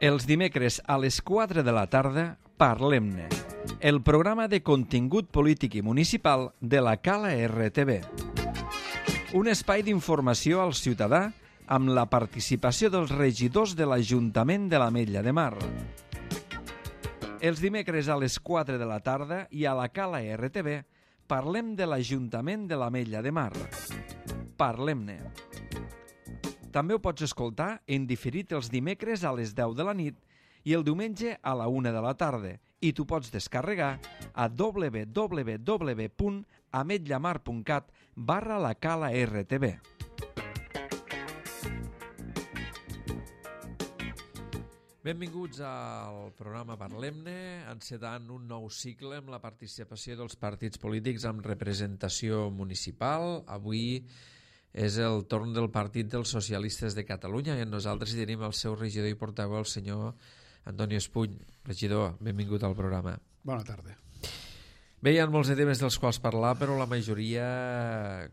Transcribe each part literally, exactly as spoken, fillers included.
Els dimecres a les quatre de la tarda, Parlem-ne, el programa de contingut polític i municipal de la Cala R T V. Un espai d'informació al ciutadà amb la participació dels regidors de l'Ajuntament de l'Ametlla de Mar. Els dimecres a les quatre de la tarda i a la Cala R T V parlem de l'Ajuntament de l'Ametlla de Mar. Parlem-ne. També ho pots escoltar en diferit els dimecres a les deu de la nit i el diumenge a la una de la tarda, i t'ho pots descarregar a w w w punt ametllamar punt cat barra la Cala R T V. Benvinguts al programa Parlem-ne, encetant un nou cicle amb la participació dels partits polítics amb representació municipal. Avui és el torn del Partit dels Socialistes de Catalunya i nosaltres hi tenim el seu regidor i portaveu, el senyor Antoni Espuny. Regidor, benvingut al programa. Bona tarda. Bé, hi ha molts de temes dels quals parlar, però la majoria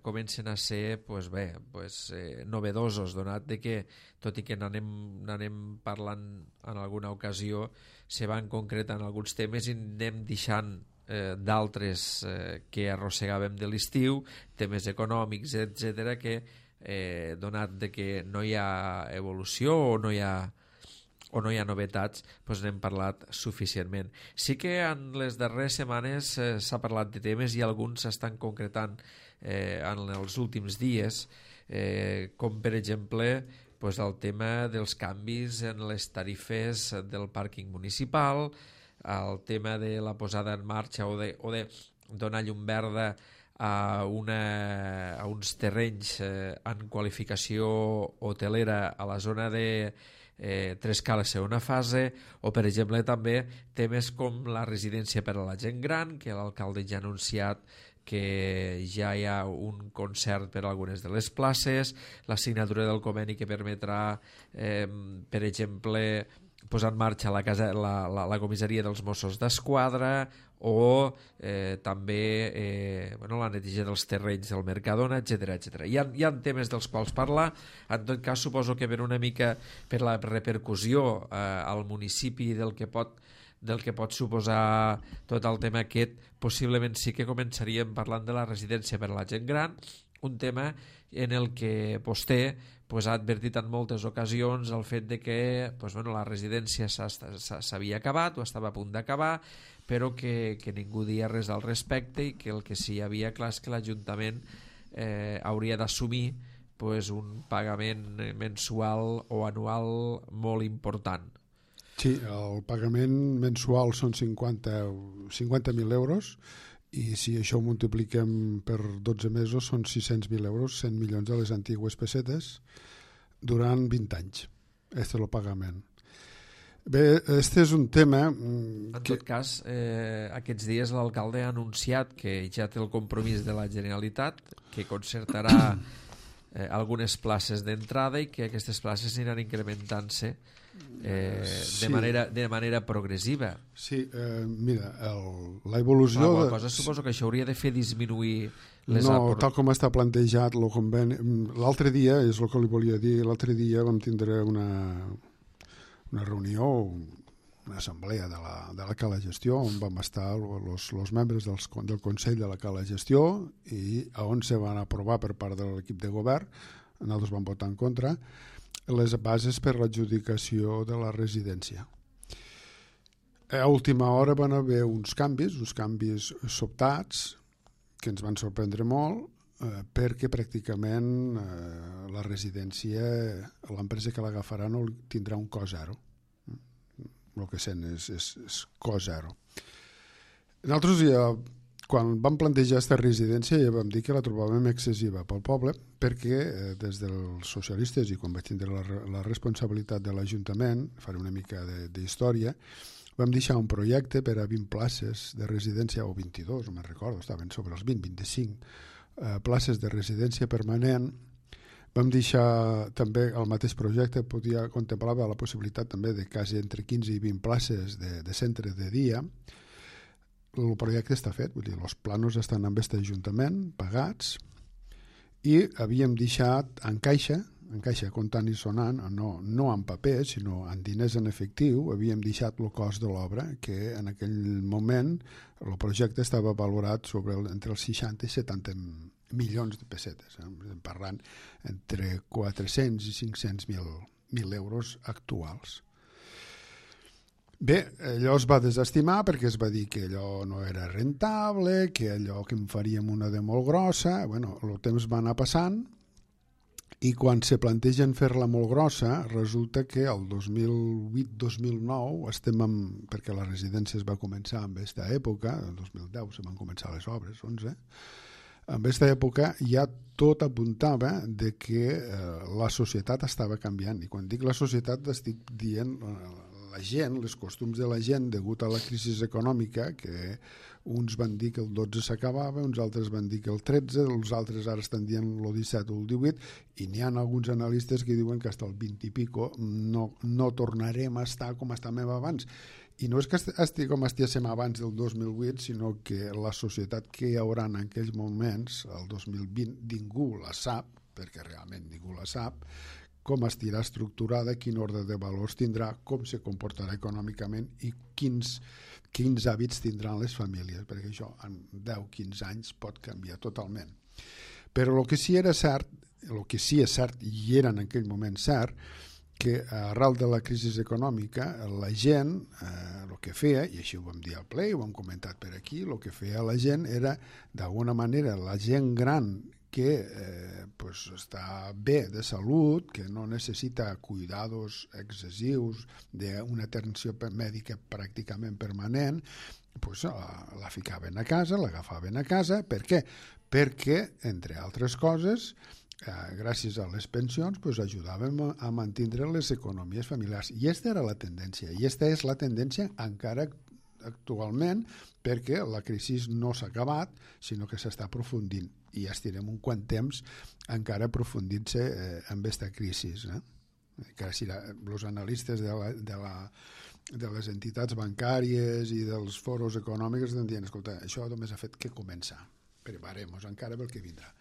comencen a ser pues bé, pues, eh, novedosos, donat de que, tot i que n'anem, n'anem parlant en alguna ocasió, se van concretant alguns temes i anem deixant eh, d'altres eh, que arrossegàvem de l'estiu, temes econòmics, etcètera, que eh, donat de que no hi ha evolució o no hi ha o no hi ha novetats, doncs n'hem parlat suficientment. Sí que en les darreres setmanes eh, s'ha parlat de temes i alguns s'estan concretant eh, en els últims dies, eh, com per exemple doncs el tema dels canvis en les tarifes del pàrquing municipal, el tema de la posada en marxa o de, o de donar llum verda a, una, a uns terrenys eh, en qualificació hotelera a la zona de Eh, tres cales segona fase, o per exemple també temes com la residència per a la gent gran, que l'alcalde ja ha anunciat que ja hi ha un concert per a algunes de les places, la signatura del conveni que permetrà eh, per exemple posar en marxa la, casa, la, la, la comissaria dels Mossos d'Esquadra o eh, també eh, bueno, la neteja dels terrenys del Mercadona, etcètera, etcètera. Hi ha, hi ha temes dels quals parlar. En tot cas, suposo que per una mica per la repercussió eh, al municipi del que pot del que pot suposar tot el tema aquest, possiblement sí que començaríem parlant de la residència per a la gent gran, un tema en el que vostè pues, ha advertit en moltes ocasions el fet de que pues, bueno, la residència s'havia acabat o estava a punt d'acabar, però que, que ningú dia res al respecte i que el que sí hi havia clar és que l'Ajuntament eh, hauria d'assumir pues, un pagament mensual o anual molt important. Sí, el pagament mensual són cinquanta mil euros i si això ho multipliquem per dotze mesos són sis-cents mil euros, cent milions de les antigues pessetes durant vint anys. Este és el pagament. Bé, este és un tema en que... tot cas, eh, aquests dies l'alcalde ha anunciat que ja té el compromís de la Generalitat, que concertarà eh, algunes places d'entrada i que aquestes places aniran incrementant-se eh, sí. de, manera, de manera progressiva. Sí, eh, mira, el, la evolució... La de... cosa suposo que això hauria de fer disminuir les... No, apor... tal com està plantejat el conveni... L'altre dia, és el que li volia dir, l'altre dia vam tindre una, una reunió, una assemblea de la, de la Cala Gestió, on vam estar els membres dels, del Consell de la Cala Gestió i on se van aprovar per part de l'equip de govern, nosaltres vam votar en contra, les bases per l'adjudicació de la residència. A última hora van haver uns canvis, uns canvis sobtats, que ens van sorprendre molt, eh, perquè pràcticament eh, la residència, l'empresa que l'agafarà no tindrà un cost zero. El que sent és, és, és cost zero. Nosaltres ja, quan vam plantejar aquesta residència, ja vam dir que la trobàvem excessiva pel poble, perquè eh, des dels socialistes, i quan vaig tindre la, la responsabilitat de l'Ajuntament, faré una mica d'història, vam deixar un projecte per a vint places de residència, o vint-i-dos, no me'n recordo, estaven sobre els vint, vint-i-cinc eh, places de residència permanent. Vam deixar també el mateix projecte, podia contemplava la possibilitat també de quasi entre quinze i vint places de, de centre de dia. El projecte està fet, vull dir, els planos estan amb aquest Ajuntament, pagats, i havíem deixat en caixa en caixa comptant i sonant, no, no en paper, sinó en diners en efectiu, havíem deixat el cost de l'obra, que en aquell moment el projecte estava valorat sobre el, entre els seixanta i setanta milions de pessetes, eh? Estem parlant entre quatre-cents i cinc-cents mil euros actuals. Bé, allò es va desestimar perquè es va dir que allò no era rentable, que allò que en faríem una de molt grossa. Bueno, el temps va anar passant i quan se plantegen fer-la molt grossa resulta que el dos mil vuit dos mil nou estem amb, perquè la residència es va començar en aquesta època, el dos mil deu se van començar les obres, onze, en aquesta època ja tot apuntava de que eh, la societat estava canviant, i quan dic la societat estic dient eh, la gent, les costums de la gent degut a la crisi econòmica, que uns van dir que el dotze s'acabava, uns altres van dir que el tretze, els altres ara estan dient el disset o el divuit, i n'hi ha alguns analistes que diuen que fins al vint i pico no, no tornarem a estar com estàvem abans. I no és que estigui com estiguéssim abans del dos mil vuit, sinó que la societat que hi haurà en aquells moments, el dos mil vint, ningú la sap, perquè realment ningú la sap, com estirà estructurada, quin ordre de valors tindrà, com se comportarà econòmicament i quins, quins hàbits tindran les famílies, perquè això en deu a quinze anys pot canviar totalment. Però el que sí era cert, el que sí és cert, i era en aquell moment cert, que arrel de la crisi econòmica la gent, eh, el que feia, i així ho vam dir al ple, ho hem comentat per aquí, el que feia la gent era, d'alguna manera, la gent gran que eh, pues està bé de salut, que no necessita cuidados excessius d'una atenció mèdica pràcticament permanent, pues la, la ficaven a casa, l'agafaven a casa. Per què? Perquè, entre altres coses, eh, gràcies a les pensions, pues ajudàvem a, a mantenir les economies familiars. I aquesta era la tendència, i aquesta és la tendència encara actualment, perquè la crisi no s'ha acabat, sinó que s'està aprofundint, i ja estirem un quant temps encara aprofundint-se eh, amb aquesta crisi. Eh? Que si els analistes de, la, de, la, de les entitats bancàries i dels foros econòmics estan dient, escolta, això només ha fet que començar, preparem-nos encara pel que vindrà.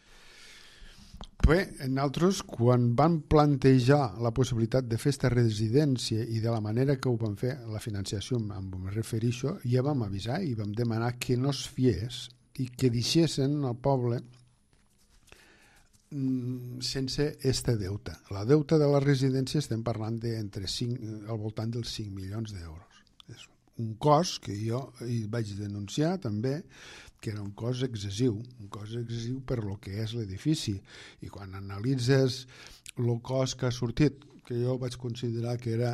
Bé, nosaltres, quan van plantejar la possibilitat de fer aquesta residència i de la manera que ho van fer, la financiació, em refereixo, ja vam avisar i vam demanar que no es fiés i que deixessin al poble sense este deute. La deuta de la residència estem parlant de entre cinc, al voltant dels cinc milions d'euros. És un cost que jo hi vaig denunciar també, que era un cost excessiu, un cost excessiu per lo que és l'edifici. I quan analitzes el cost que ha sortit, que jo vaig considerar que era,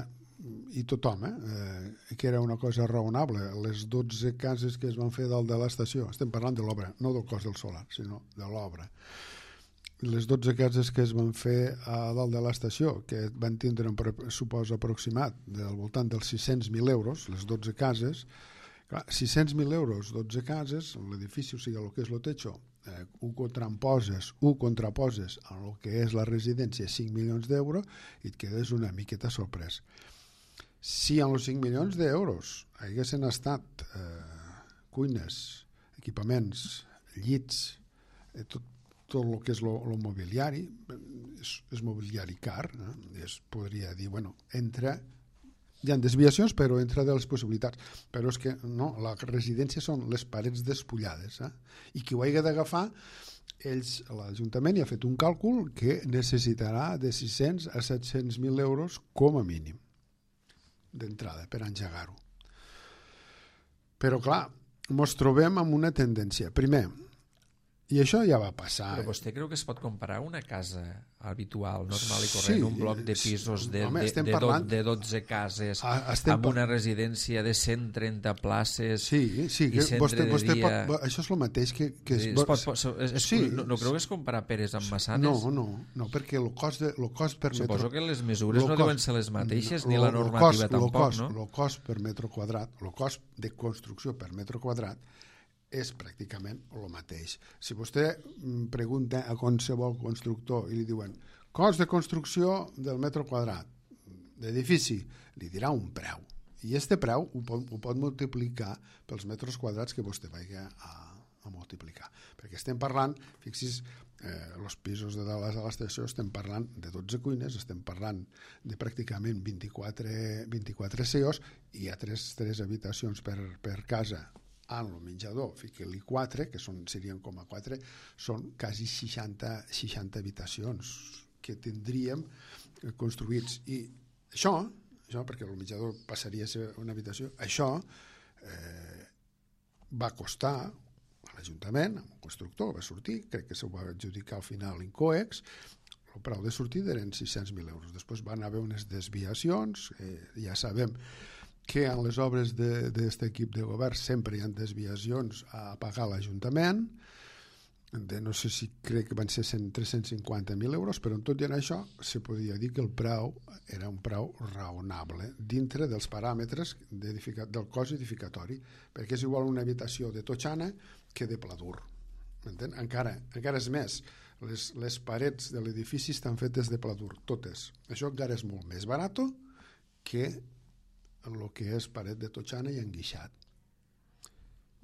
i tothom, eh, que era una cosa raonable, les dotze cases que es van fer dalt de l'estació, estem parlant de l'obra, no del cost del solar, sinó de l'obra. Les dotze cases que es van fer a dalt de l'estació, que van tindre un pressupost aproximat del voltant dels sis-cents mil euros, les dotze cases, clar, sis-cents mil euros, dotze cases, l'edifici, o sigui, el que és el techo, eh, ho contraposes, ho contraposes a el que és la residència, cinc milions d'euros, i et quedes una miqueta sorprès. Si en els cinc milions d'euros haguessin estat eh, cuines, equipaments, llits, eh, tot, tot el que és el mobiliari, és, és mobiliari car, eh? Es podria dir, bueno, entra, hi ha desviacions, però entra de les possibilitats. Però és que no, la residència són les parets despullades, eh? I qui ho hagi d'agafar, ells, l'Ajuntament, hi ha fet un càlcul que necessitarà de sis-cents a set-cents mil euros com a mínim d'entrada per engegar-ho. Però clar, ens trobem amb una tendència. Primer, i això ja va passar. Però vostè creu que es pot comparar una casa habitual, normal i corrent, sí, un bloc de pisos de, home, de, de, parlant... de dotze cases, estem amb una residència de cent trenta places, sí, sí, i centre vostè, vostè de dia... Pot, això és el mateix que... que es, es pot, pot, es, es, sí, no, no creu que es comparar peres amb manzanes? No, no, no, perquè el cost, de, el cost per metre... Suposo que les mesures no cost, deuen ser les mateixes, no, ni lo, la normativa cost, tampoc, cost, no? El cost per metre quadrat, el cost de construcció per metre quadrat és pràcticament el mateix. Si vostè pregunta a qualsevol constructor i li diuen cost de construcció del metre quadrat d'edifici, li dirà un preu. I este preu ho pot, ho pot multiplicar pels metres quadrats que vostè vagi a, a multiplicar. Perquè estem parlant, fixis, eh, els pisos de dalt a l'estació estem parlant de dotze cuines, estem parlant de pràcticament vint-i-quatre, vint-i-quatre C E Os, i hi ha tres, tres habitacions per, per casa en el menjador, fica-li quatre, que són, serien com a quatre, són quasi seixanta, seixanta habitacions que tindríem construïts. I això, això perquè el menjador passaria a ser una habitació, això eh, va costar a l'Ajuntament, amb un constructor, va sortir, crec que s'ho va adjudicar al final l'Incoex, el preu de sortida eren sis-cents mil euros. Després van haver unes desviacions, eh, ja sabem que en les obres d'aquest equip de govern sempre hi ha desviacions a pagar l'Ajuntament, de no sé si crec que van ser tres-cents cinquanta mil euros, però en tot i en això se podia dir que el preu era un preu raonable dintre dels paràmetres del cost edificatori, perquè és igual una habitació de totxana que de pladur. Encara, encara és més, les, les parets de l'edifici estan fetes de pladur, totes. Això encara és molt més barat que el que és paret de totxana i enguixat.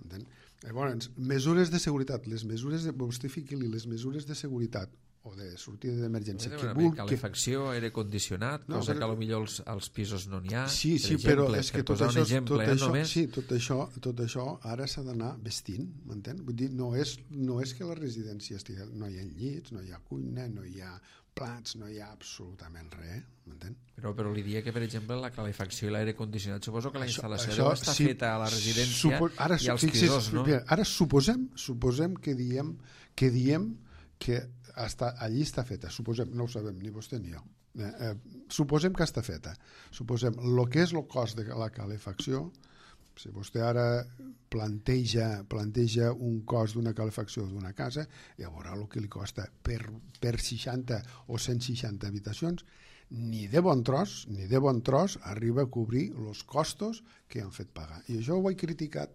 Entén? Llavors, mesures de seguretat, les mesures de, vostè fiqui-li les mesures de seguretat o de sortida d'emergència. Que vulgui, calefacció, aire condicionat, no, cosa però, que potser als, als pisos no n'hi ha. Sí, sí, exemple, però és que tot això, exemple, tot, eh, això, sí, tot, això, tot això ara s'ha d'anar vestint, m'entén? Vull dir, no és, no és que la residència estigui, no hi ha llits, no hi ha cuina, no hi ha plats, no hi ha absolutament res, m'entén? Però, però li diria que, per exemple, la calefacció i l'aire condicionat, suposo que la instal·lació això, deu estar sí, feta a la residència supo, ara, i als fixis, pisos, no? Ara suposem, suposem que diem que diem que està, allí està feta, suposem, no ho sabem ni vostè ni jo, eh, eh, suposem que està feta, suposem el que és el cost de la calefacció. Si vostè ara planteja, planteja un cost d'una calefacció d'una casa, ja veurà el que li costa per, per seixanta o cent seixanta habitacions, ni de bon tros, ni de bon tros arriba a cobrir els costos que han fet pagar. I això ho he criticat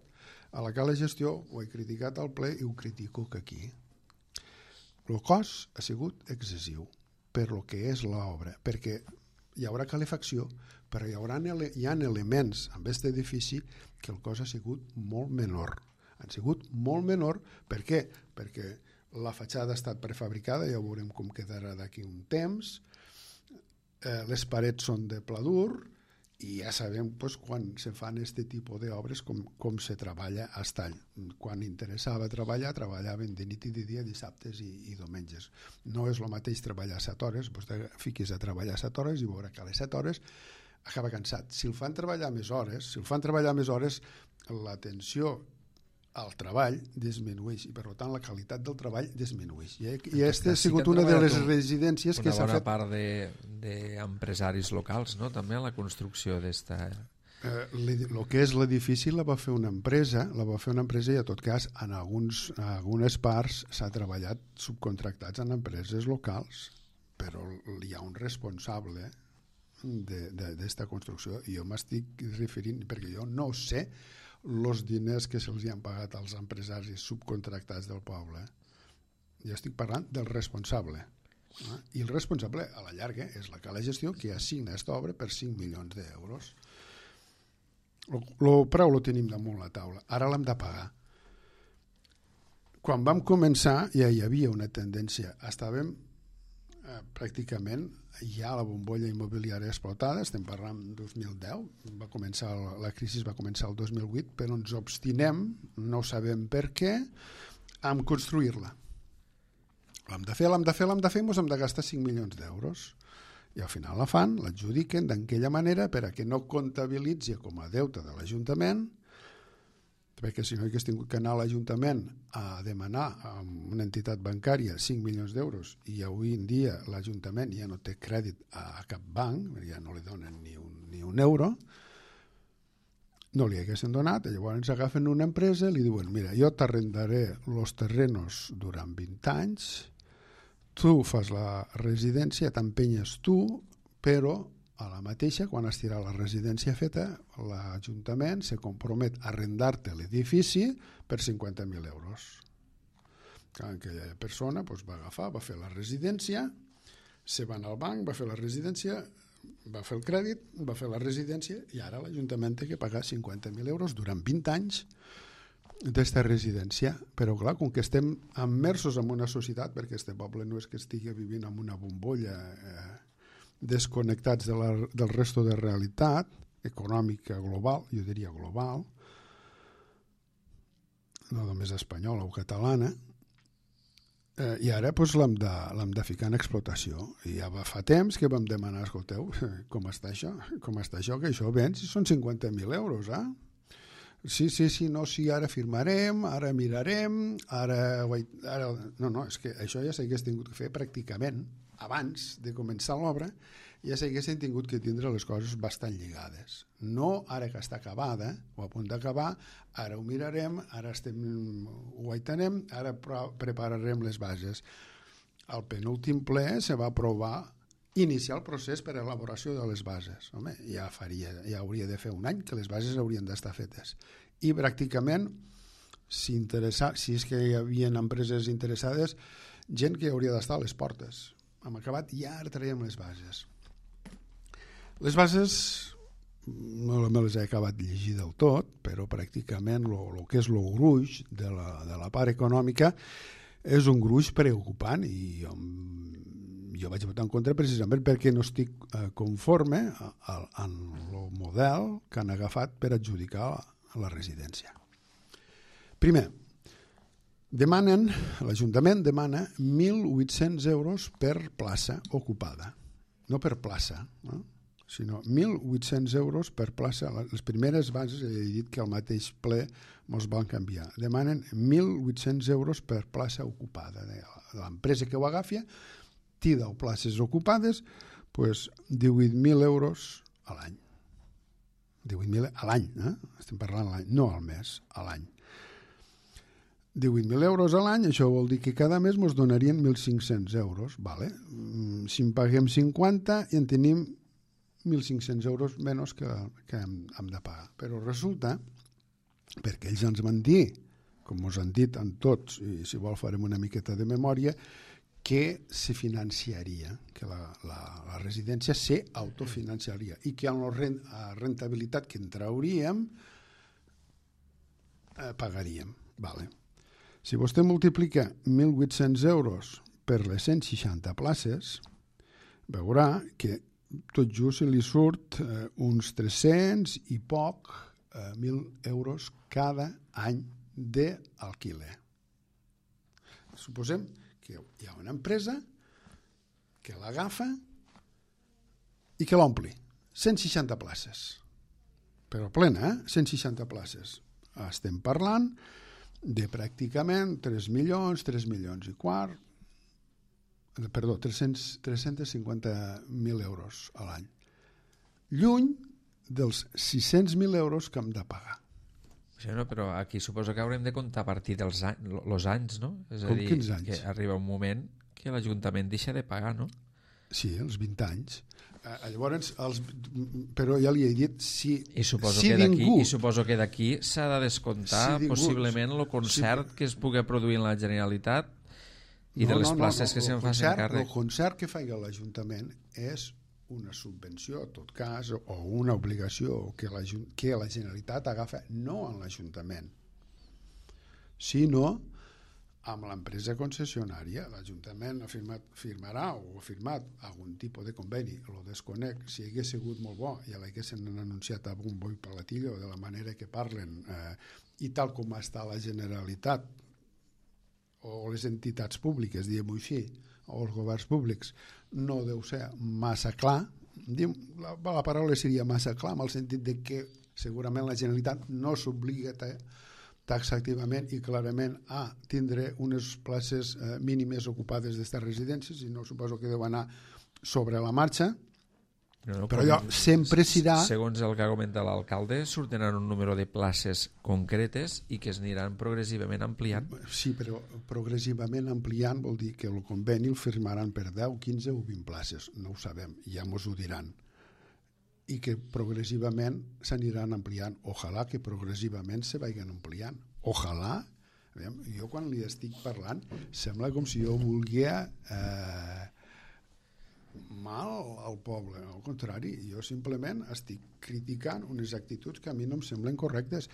a la Cala Gestió, ho he criticat al ple i ho critico que aquí. El cost ha sigut excessiu per lo que és l'obra, perquè hi haurà calefacció, però hi haurà, hi ha elements en aquest edifici que el cost ha sigut molt menor. Han sigut molt menor, per què? Perquè la fatxada ha estat prefabricada, ja veurem com quedarà d'aquí un temps, eh, les parets són de pladur, i ja sabem pues, quan se fan aquest tipus d'obres com, com se treballa a Estall. Quan interessava treballar, treballaven de nit i de dia, dissabtes i, i diumenges. No és el mateix treballar set hores, vostè fiquis a treballar set hores i veurà que a les set hores acaba cansat. Si el fan treballar més hores, si el fan treballar més hores, l'atenció al treball disminueix i per tant la qualitat del treball disminueix. I, i aquesta ha sigut una de les residències que s'ha fet... Una bona part d'empresaris de, locals, no? També a la construcció d'esta... Eh, el que és l'edifici la va fer una empresa, la va fer una empresa i, a tot cas, en, alguns, en algunes parts s'ha treballat subcontractats en empreses locals, però hi ha un responsable d'esta construcció i jo m'estic referint, perquè jo no sé els diners que se'ls han pagat als empresaris subcontractats del poble. Jo estic parlant del responsable. Eh? I el responsable, a la llarga, és la Cala Gestió, que assigna aquesta obra per cinc milions d'euros. El preu lo tenim damunt la taula. Ara l'hem de pagar. Quan vam començar ja hi havia una tendència. Estàvem eh, pràcticament ja la bombolla immobiliària explotada, estem parlant del dos mil deu, va començar, la crisi va començar el dos mil vuit, però ens obstinem, no sabem per què, en construir-la. L'hem de fer, l'hem de fer, l'hem de fer, ens hem de gastar cinc milions d'euros. I al final la fan, l'adjudiquen d'aquella manera per a que no comptabilitzi com a deute de l'Ajuntament, perquè si no hagués tingut que anar a l'Ajuntament a demanar a una entitat bancària cinc milions d'euros i avui en dia l'Ajuntament ja no té crèdit a cap banc, ja no li donen ni un, ni un euro, no li haguessin donat, i llavors agafen una empresa i li diuen, mira, jo t'arrendaré els terrenos durant vint anys, tu fas la residència, t'empenyes tu, però a la mateixa, quan estirà la residència feta, l'Ajuntament se compromet a arrendar-te l'edifici per cinquanta mil euros. Aquella persona doncs, va agafar, va fer la residència, se va anar al banc, va fer la residència, va fer el crèdit, va fer la residència i ara l'Ajuntament té que pagar cinquanta mil euros durant vint anys d'esta residència, però clar, com que estem immersos en una societat, perquè este poble no és que estigui vivint en una bombolla eh, desconnectats de la, del resto de realitat econòmica global, jo diria global, no només espanyola o catalana, eh, i ara pues, l'hem de, l'hem de ficar en explotació. I ja va fa temps que vam demanar, escolteu, com està això? Com està això? Que això ven si són cinquanta mil euros, eh? Sí, sí, sí, no, sí, ara firmarem, ara mirarem, ara... ara... No, no, és que això ja s'hagués tingut que fer pràcticament abans de començar l'obra, ja s'haguessin tingut que tindre les coses bastant lligades. No ara que està acabada, o a punt d'acabar, ara ho mirarem, ara estem, ho aitenem, ara prepararem les bases. Al penúltim ple se va aprovar iniciar el procés per a elaboració de les bases. Home, ja faria, ja hauria de fer un any que les bases haurien d'estar fetes. I pràcticament, si, interessa, si és que hi havia empreses interessades, gent que hauria d'estar a les portes. Hem acabat i ara traiem les bases. Les bases no me les he acabat de llegir del tot, però pràcticament el que és el gruix de la, de la part econòmica és un gruix preocupant i jo, jo vaig votar en contra precisament perquè no estic eh, conforme en el model que han agafat per adjudicar la residència. Primer, demanen, l'Ajuntament demana mil vuit-cents euros per plaça ocupada, no per plaça, no? Sinó mil vuit-cents euros per plaça. Les primeres bases he dit que al mateix ple mos van canviar. Demanen mil vuit-cents euros per plaça ocupada. L'empresa que ho agafi té deu places ocupades, doncs divuit mil euros a l'any. divuit mil a l'any, eh? Estem parlant a l'any, no al mes, a l'any. divuit mil euros a l'any, això vol dir que cada mes ens donarien mil cinc-cents euros. Vale? Si en paguem cinquanta i en tenim mil cinc-cents euros menys que, que hem, hem de pagar. Però resulta, perquè ells ens van dir, com us han dit en tots, i si vol farem una miqueta de memòria, que se financiaria, que la, la, la residència se autofinanciaria i que amb la rentabilitat que en trauríem eh, pagaríem. Vale. Si vostè multiplica mil vuit-cents euros per les cent seixanta places, veurà que tot just li surt eh, uns tres-cents i poc eh, mil euros cada any d'alquiler. Suposem que hi ha una empresa que l'agafa i que l'ompli. cent seixanta places. Però plena, eh? cent seixanta places. Estem parlant de pràcticament tres milions, tres milions i quart, perdó, tres-cents cinquanta mil euros a l'any. Lluny dels sis-cents mil euros que hem de pagar. Sí, no, però aquí suposo que haurem de comptar a partir dels anys, los anys, no? És a Com dir, quins anys? que arriba un moment que l'Ajuntament deixa de pagar, no? Sí, els vint anys. Eh, llavors, els, però ja li he dit, si, I suposo, si que d'aquí, ningú... I suposo que d'aquí s'ha de descomptar si ningú, possiblement el concert sí, que es pugui produir en la Generalitat i no, de les no, places no, no, que se'n facin càrrec. El concert que faci l'Ajuntament és una subvenció, en tot cas, o una obligació que la, que la Generalitat agafa no en l'Ajuntament, sinó amb l'empresa concessionària. L'Ajuntament ha firmat, firmarà o ha firmat algun tipus de conveni, lo desconec, si hagués sigut molt bo ja l'haguessin anunciat a bombo i platillo de la manera que parlen eh, i tal com està la Generalitat o les entitats públiques, diguem-ho així, o els governs públics, no deu ser massa clar. La, la paraula seria massa clar, en el sentit de que segurament la Generalitat no s'obliga taxativament i clarament a tindre unes places eh, mínimes ocupades d'estes residències, i no suposo que deu anar sobre la marxa. No, no, però allò sempre serà... Segons el que ha comentat l'alcalde, sortiran un número de places concretes i que es aniran progressivament ampliant. Sí, però progressivament ampliant vol dir que el conveni el firmaran per deu, quinze o vint places. No ho sabem, ja mos ho diran. I que progressivament s'aniran ampliant. Ojalà que progressivament se vagin ampliant. Ojalà. Jo quan li estic parlant sembla com si jo volgués... Eh, mal al poble, al contrari, jo simplement estic criticant unes actituds que a mi no em semblen correctes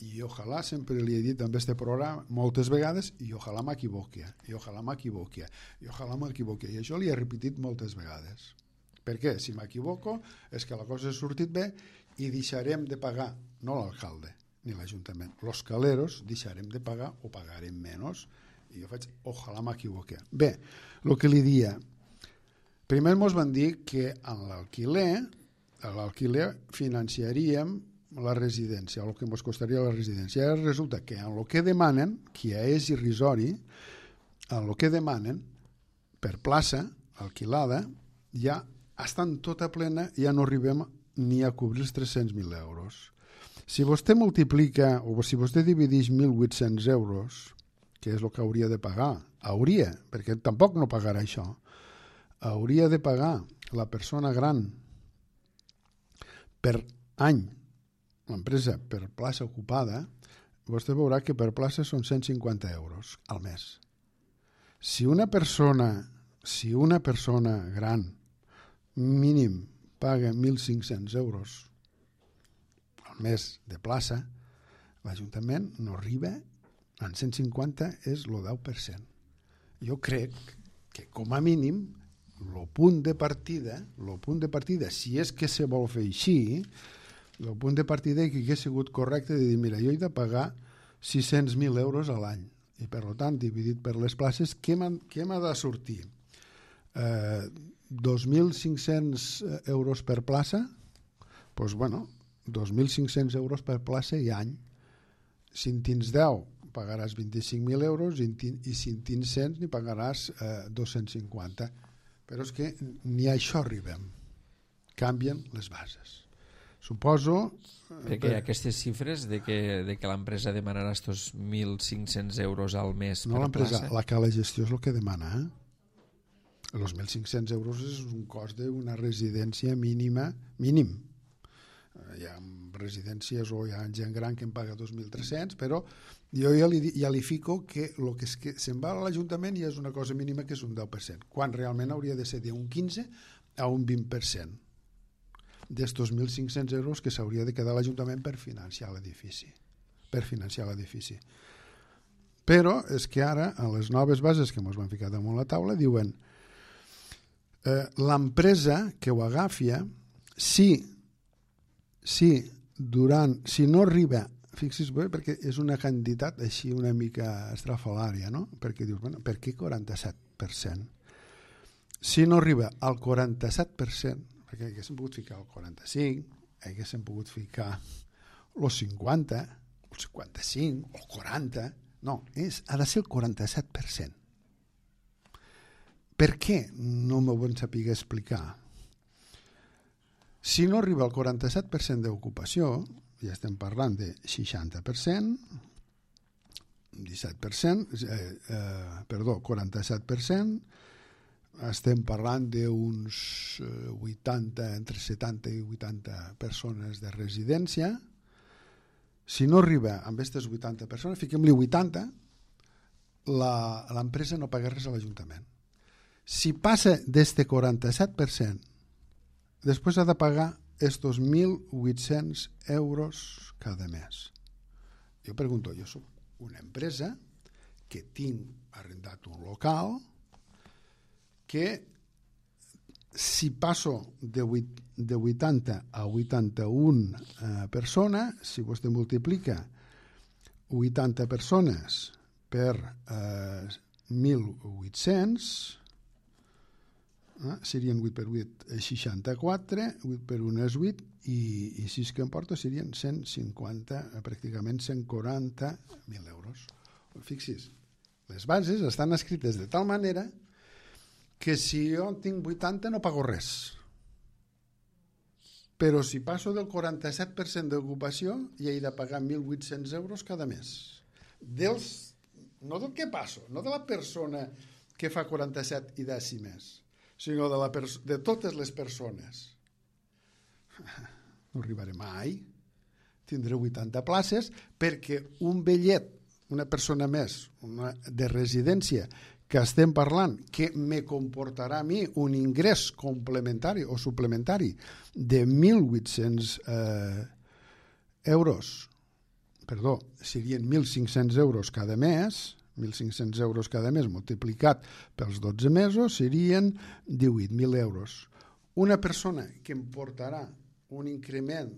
i ojalà, sempre li he dit en este programa moltes vegades, i ojalà m'equivoqui, i ojalà m'equivoqui, i ojalà m'equivoqui, i això li he repetit moltes vegades. Per què? Si m'equivoco és que la cosa ha sortit bé i deixarem de pagar, no l'alcalde ni l'Ajuntament, los caleros deixarem de pagar o pagarem menys, i jo faig, ojalà m'equivoqui. Bé, el que li dia, primer ens van dir que en l'alquiler, a l'alquiler financiaríem la residència, el que ens costaria la residència. Ara resulta que en el que demanen, que ja és irrisori, en el que demanen per plaça alquilada, ja estan tota plena, ja no arribem ni a cobrir els tres-cents mil euros. Si vostè multiplica, o si vostè divideix mil vuit-cents euros, que és el que hauria de pagar, hauria, perquè tampoc no pagarà això, hauria de pagar la persona gran per any, l'empresa per plaça ocupada, vostè veurà que per plaça són cent cinquanta euros al mes. Si una persona, si una persona gran mínim paga mil cinc-cents euros al mes de plaça, l'Ajuntament no arriba, en cent cinquanta és el deu per cent. Jo crec que com a mínim el punt de partida, el punt de partida, si és que se vol fer així, el punt de partida que hauria sigut correcte de dir, mira, jo he de pagar sis-cents mil euros a l'any i per tant, dividit per les places, què m'ha de sortir? Eh, dos mil cinc-cents euros per plaça? Doncs, pues, bueno, dos mil cinc-cents euros per plaça i any. Si en tens deu, pagaràs vint-i-cinc mil euros i, i si en tens cent, n'hi pagaràs eh, dos-cents cinquanta. Però és que ni a això arribem. Canvien les bases. Suposo... Perquè hi ha aquestes xifres de que, de que l'empresa demanarà estos mil cinc-cents euros al mes no per l'empresa, plaça. La que la gestió és el que demana. Eh? Els mil cinc-cents euros és un cost d'una residència mínima, mínim. Hi ha residències o hi ha gent gran que en paga dos mil tres-cents, però jo ja li, ja li fico que el que, és que se'n va a l'Ajuntament ja és una cosa mínima que és un deu per cent, quan realment hauria de ser d'un quinze a un vint per cent d'estos mil cinc-cents euros que s'hauria de quedar l'Ajuntament per financiar l'edifici. Per financiar l'edifici. Però és que ara, a les noves bases que ens van ficar damunt la taula, diuen eh, l'empresa que ho agafia, si, si, durant, si no arriba, fixis bé, perquè és una quantitat així una mica estrafalària, no? Perquè dius, bueno, per què quaranta-set per cent? Si no arriba al quaranta-set per cent, perquè haguéssim pogut ficar el quaranta-cinc, haguéssim pogut ficar el cinquanta, el cinquanta-cinc, el quaranta, no, és, ha de ser el quaranta-set per cent. Per què? No m'ho van saber explicar. Si no arriba al quaranta-set per cent d'ocupació, ja estem parlant de seixanta per cent, disset per cent, eh, eh, perdó, quaranta-set per cent, estem parlant d'uns vuitanta, entre setanta i vuitanta persones de residència. Si no arriba amb aquestes vuitanta persones, fiquem-li vuitanta, l'empresa no paga res a l'Ajuntament. Si passa d'este quaranta-set per cent, després ha de pagar estos mil vuit-cents euros cada mes. Jo pregunto, jo soc una empresa que tinc arrendat un local que si passo de, vuit, de vuitanta a vuitanta-un eh, persones, si vostè multiplica vuitanta persones per eh, mil vuit-cents, eh, serien vuit per vuit, seixanta-quatre, vuit per un és vuit, i, i sis que em porta serien cent cinquanta, pràcticament cent quaranta mil euros. Fixis, les bases estan escrites de tal manera que si jo tinc vuitanta no pago res. Però si passo del quaranta-set per cent d'ocupació ja he de pagar mil vuit-cents euros cada mes. Dels, no del que passo, no de la persona que fa quaranta-set i dècimes, sinó de, la de totes les persones. No arribaré mai. Tindré vuitanta places perquè un vellet, una persona més, una de residència, que estem parlant, que me comportarà a mi un ingrés complementari o suplementari de mil vuit-cents eh, euros perdó, serien mil cinc-cents euros cada mes, mil cinc-cents euros cada mes multiplicat pels dotze mesos serien divuit mil euros. Una persona que em portarà un increment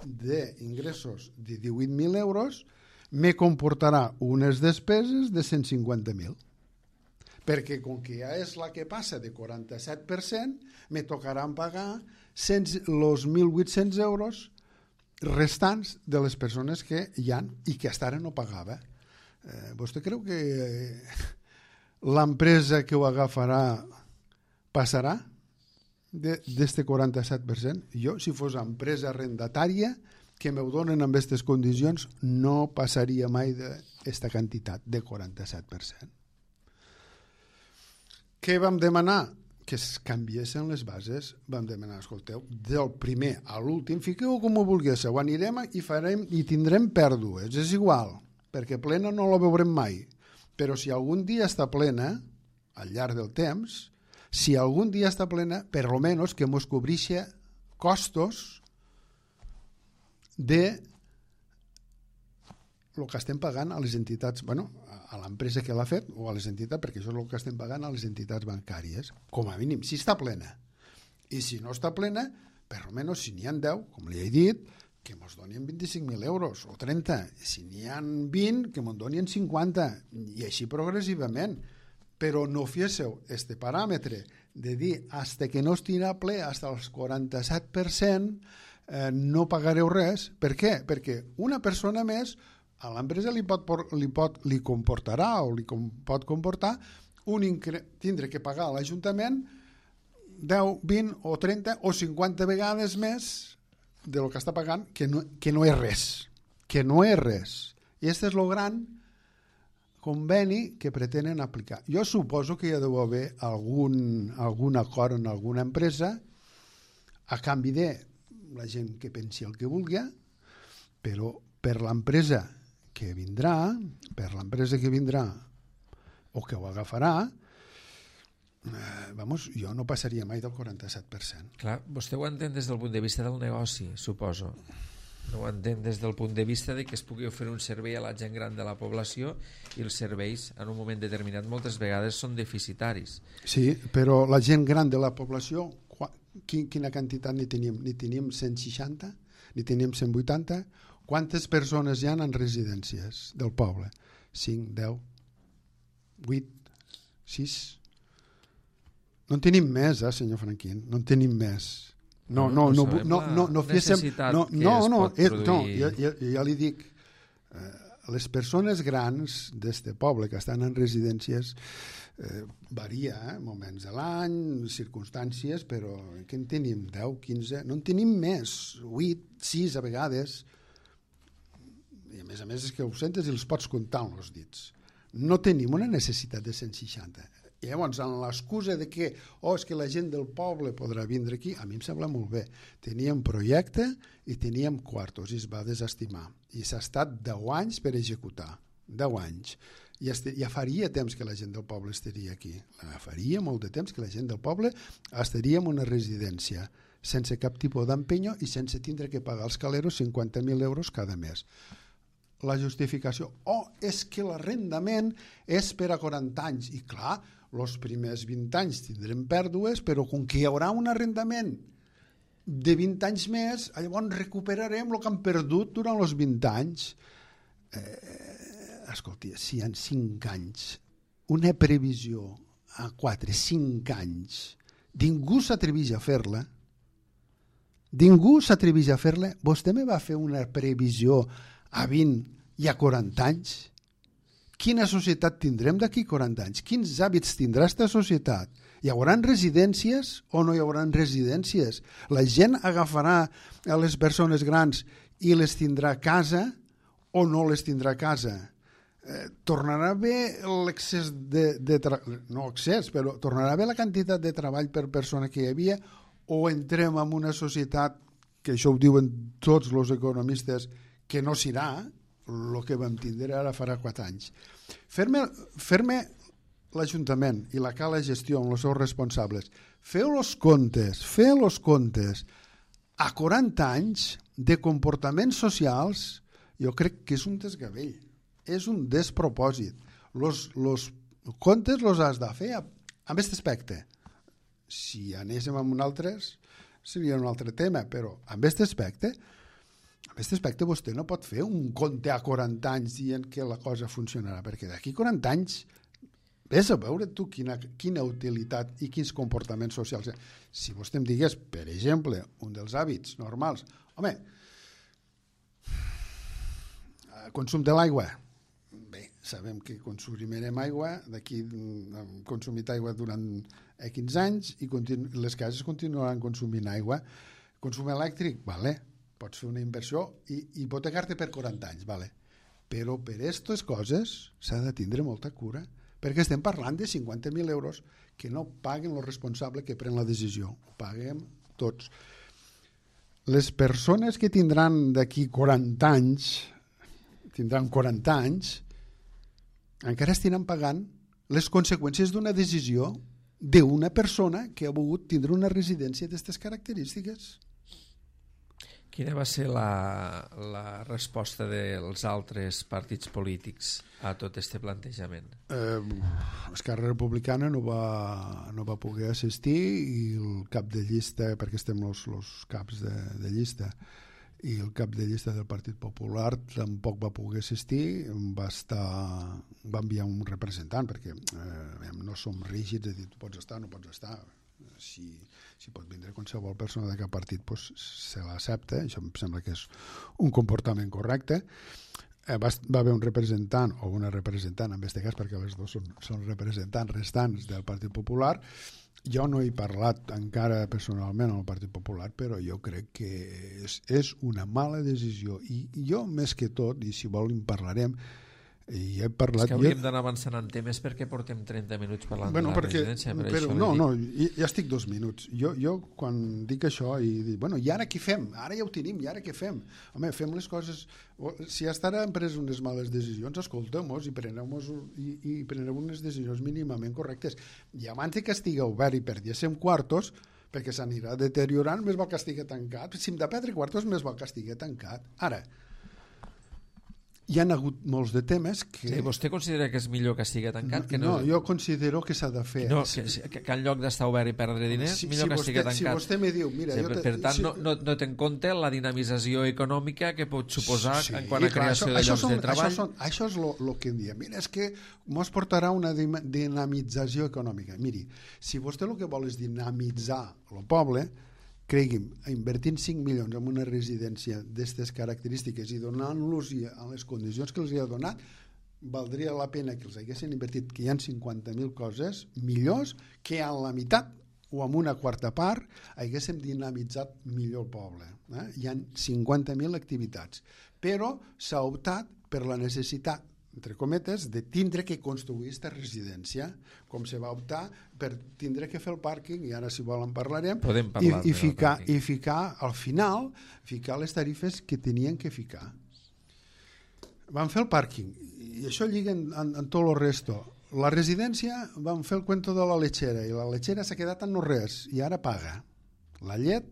d'ingressos de divuit mil euros me comportarà unes despeses de cent cinquanta mil. Perquè com que ja és la que passa de quaranta-set per cent, me tocaran pagar els mil vuit-cents euros restants de les persones que hi ha i que fins ara no pagava. Eh, vostè creu que l'empresa que ho agafarà passarà d'este quaranta-set per cent? Jo, si fos empresa arrendatària que m'ho donen amb aquestes condicions, no passaria mai d'esta quantitat, de quaranta-set per cent. Què vam demanar? Que es canviessin les bases. Vam demanar, escolteu, del primer a l'últim, fiqueu com ho vulguéssiu, ho anirem i, farem, i tindrem pèrdues, és igual, perquè plena no la veurem mai. Però si algun dia està plena, al llarg del temps, si algun dia està plena, per almenys que mos cobrixa costos de el que estem pagant a les entitats, bueno, a l'empresa que l'ha fet o a les entitats, perquè això és el que estem pagant a les entitats bancàries, com a mínim, si està plena. I si no està plena, per almenys si n'hi ha deu, com li he dit, que mos donin vint-i-cinc mil euros o trenta. Si n'hi ha vint, que mos donin cinquanta, i així progressivament. Però no féssiu este paràmetre de dir fins que no estigui ple, fins al quaranta-set per cent, eh, no pagareu res. Per què? Perquè una persona més a l'empresa li pot, li pot li comportarà o li com, pot comportar un incre... tindre que pagar a l'Ajuntament deu, vint o trenta o cinquanta vegades més de lo que està pagant, que no, que no és res. Que no és res. I aquest és el gran conveni que pretenen aplicar. Jo suposo que hi ha d'haver algun, algun acord en alguna empresa a canvi de la gent que pensi el que vulgui, però per l'empresa que vindrà, per l'empresa que vindrà o que ho agafarà, eh, vamos, jo no passaria mai del quaranta-set per cent. Clar, vostè ho entén des del punt de vista del negoci, suposo. No ho entén des del punt de vista de que es pugui oferir un servei a la gent gran de la població i els serveis en un moment determinat moltes vegades són deficitaris. Sí, però la gent gran de la població, quina quantitat ni tenim? Ni tenim cent seixanta? Ni tenim cent vuitanta? Quantes persones hi ha en residències del poble? cinc, deu, vuit, sis? No en tenim més, eh, senyor Franquín, no en tenim més. No, no, no, no, no, no, no féssim... No, no, no, eh, no ja, ja, ja li dic, eh, les persones grans d'este poble que estan en residències eh, varia, eh, moments de l'any, circumstàncies, però que en tenim deu, quinze, no en tenim més, vuit, sis a vegades, i a més a més és que ho sentes i els pots comptar amb els dits. No tenim una necessitat de cent seixanta. I llavors, amb l'excusa de que oh, és que la gent del poble podrà vindre aquí, a mi em sembla molt bé. Teníem projecte i teníem quartos i es va desestimar. I s'ha estat deu anys per executar. deu anys. I ja faria temps que la gent del poble estaria aquí. Ja faria molt de temps que la gent del poble estaria en una residència sense cap tipus d'empenyo i sense tindre que pagar als caleros cinquanta mil euros cada mes. La justificació, oh, és que l'arrendament és per a quaranta anys. I clar, els primers vint anys tindrem pèrdues, però com que hi haurà un arrendament de vint anys més, llavors recuperarem el que han perdut durant els vint anys. Eh, escolti, si en cinc anys, una previsió a quatre, cinc anys, ningú s'atreveix a fer-la, ningú s'atreveix a fer-la, vostè me va fer una previsió a vint i a quaranta anys? Quina societat tindrem d'aquí quaranta anys? Quins hàbits tindrà aquesta societat? Hi haurà residències o no hi haurà residències? La gent agafarà a les persones grans i les tindrà a casa o no les tindrà a casa? Eh, tornarà bé l'excés de, de tra... no excés, però tornarà bé la quantitat de treball per persona que hi havia o entrem en una societat, que això ho diuen tots els economistes, que no serà el que vam tindre ara farà quatre anys. Fer-me, fer-me l'Ajuntament i la cala gestió amb els seus responsables, feu els comptes, feu els comptes a quaranta anys de comportaments socials jo crec que és un desgavell, és un despropòsit. Los, los comptes los has de fer amb aquest aspecte. Si anéssim amb un altre, seria un altre tema, però amb aquest aspecte, amb aquest aspecte vostè no pot fer un compte a quaranta anys dient que la cosa funcionarà, perquè d'aquí quaranta anys vés a veure tu quina, quina utilitat i quins comportaments socials. Si vostè em digués, per exemple, un dels hàbits normals, home, consum de l'aigua. Bé, sabem que consumirem aigua, d'aquí hem consumit aigua durant quinze anys i continu, les cases continuaran consumint aigua. Consum elèctric, vale, pots fer una inversió i hipotecar-te per quaranta anys, vale. Però per aquestes coses s'ha de tindre molta cura, perquè estem parlant de cinquanta mil euros que no paguen el responsable que pren la decisió, ho paguem tots. Les persones que tindran d'aquí quaranta anys, tindran quaranta anys, encara estiran pagant les conseqüències d'una decisió d'una persona que ha volgut tindre una residència d'aquestes característiques. Quina va ser la, la resposta dels altres partits polítics a tot aquest plantejament? Eh, Esquerra Republicana no va, no va poder assistir i el cap de llista, perquè estem els, els caps de, de llista, i el cap de llista del Partit Popular tampoc va poder assistir, va, estar, va enviar un representant, perquè eh, no som rígids de dir tu pots estar, no pots estar. Si, si pot vindre qualsevol persona de cap partit, pues, se l'accepta, això em sembla que és un comportament correcte. Eh, va, va haver un representant o una representant, en aquest cas perquè les dues són, són representants restants del Partit Popular. Jo no he parlat encara personalment amb el Partit Popular, però jo crec que és, és una mala decisió i jo més que tot, i si vol en parlarem, i he parlat... És que hauríem d'anar avançant en temes perquè portem trenta minuts parlant bueno, de la perquè, residència. Per però, això no, dic... no, ja estic dos minuts. Jo, jo quan dic això i dic, bueno, i ara què fem? Ara ja ho tenim, i ara què fem? Home, fem les coses... Si hasta ara hem pres unes males decisions, escoltem-nos i prenem, i, i prenem unes decisions mínimament correctes. I abans que estigui obert i perdiéssim quartos, perquè s'anirà deteriorant, més val que estigui tancat. Si hem de perdre quartos, més val que estigui tancat. Ara, hi ha hagut molts de temes que... Sí, vostè considera que és millor que estigui tancat? No, que no... no, jo considero que s'ha de fer... No, que, que, que en lloc d'estar obert i perdre diners, si, millor si que vostè, estigui tancat. Si vostè me diu... Mira, sí, jo te, per tant, si... no, no, no té en compte la dinamització econòmica que pot suposar sí, en quant a clar, creació això, de això llocs són, de treball. Això, són, això és el que em diem. Mira, és que mos portarà una dinamització econòmica. Miri, si vostè el que vol és dinamitzar el poble, cregui'm, invertint cinc milions en una residència d'aquestes característiques i donant-los a les condicions que els hi ha donat, valdria la pena que els haguessin invertit, que hi ha cinquanta mil coses millors que en la meitat o en una quarta part haguéssim dinamitzat millor el poble. Eh? Hi ha cinquanta mil activitats, però s'ha optat per la necessitat, entre cometes, de tindre que construir aquesta residència, com se va optar per tindre que fer el pàrquing, i ara si volen parlarem, i, i, ficar, i ficar al final, ficar les tarifes que tenien que ficar. Van fer el pàrquing, i això lliga en, en, en tot el resto. La residència van fer el cuento de la lechera, i la lechera s'ha quedat en no res, i ara paga. La llet,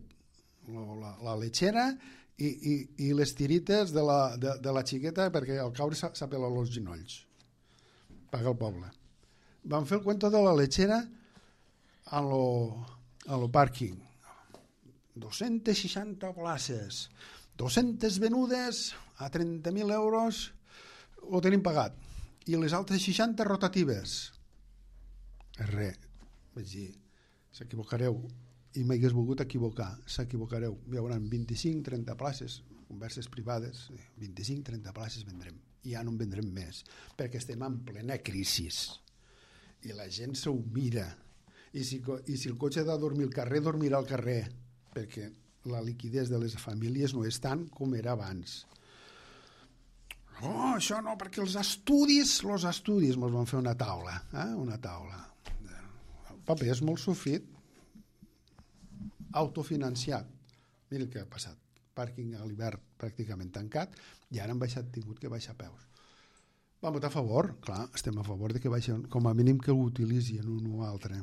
la, la lechera i, i, i les tirites de la, de, de la xiqueta, perquè al caure s'apela els ginolls. Paga el poble. Van fer el cuento de la lechera a lo, a lo pàrquing. dos-centes seixanta places, dos-centes venudes a trenta mil euros, ho tenim pagat. I les altres seixanta rotatives. Res. Vaig dir, s'equivocareu. I m'hagués volgut equivocar. S'equivocareu. Hi haurà vint-i-cinc trenta places, converses privades, vint-i-cinc trenta places vendrem. I ja no en vendrem més, perquè estem en plena crisi. I la gent s'ho mira. I si, i si el cotxe ha de dormir al carrer, dormirà al carrer, perquè la liquidez de les famílies no és tant com era abans. Oh, això no, perquè els estudis, els estudis, ens van fer una taula, eh? una taula. El paper és molt sofrit, autofinanciat. Mira el que ha passat. Pàrquing a l'hivern pràcticament tancat i ara han baixat, tingut que baixar peus. Vam votar a favor, clar, estem a favor de que baixen, com a mínim que ho utilitzin un o altre.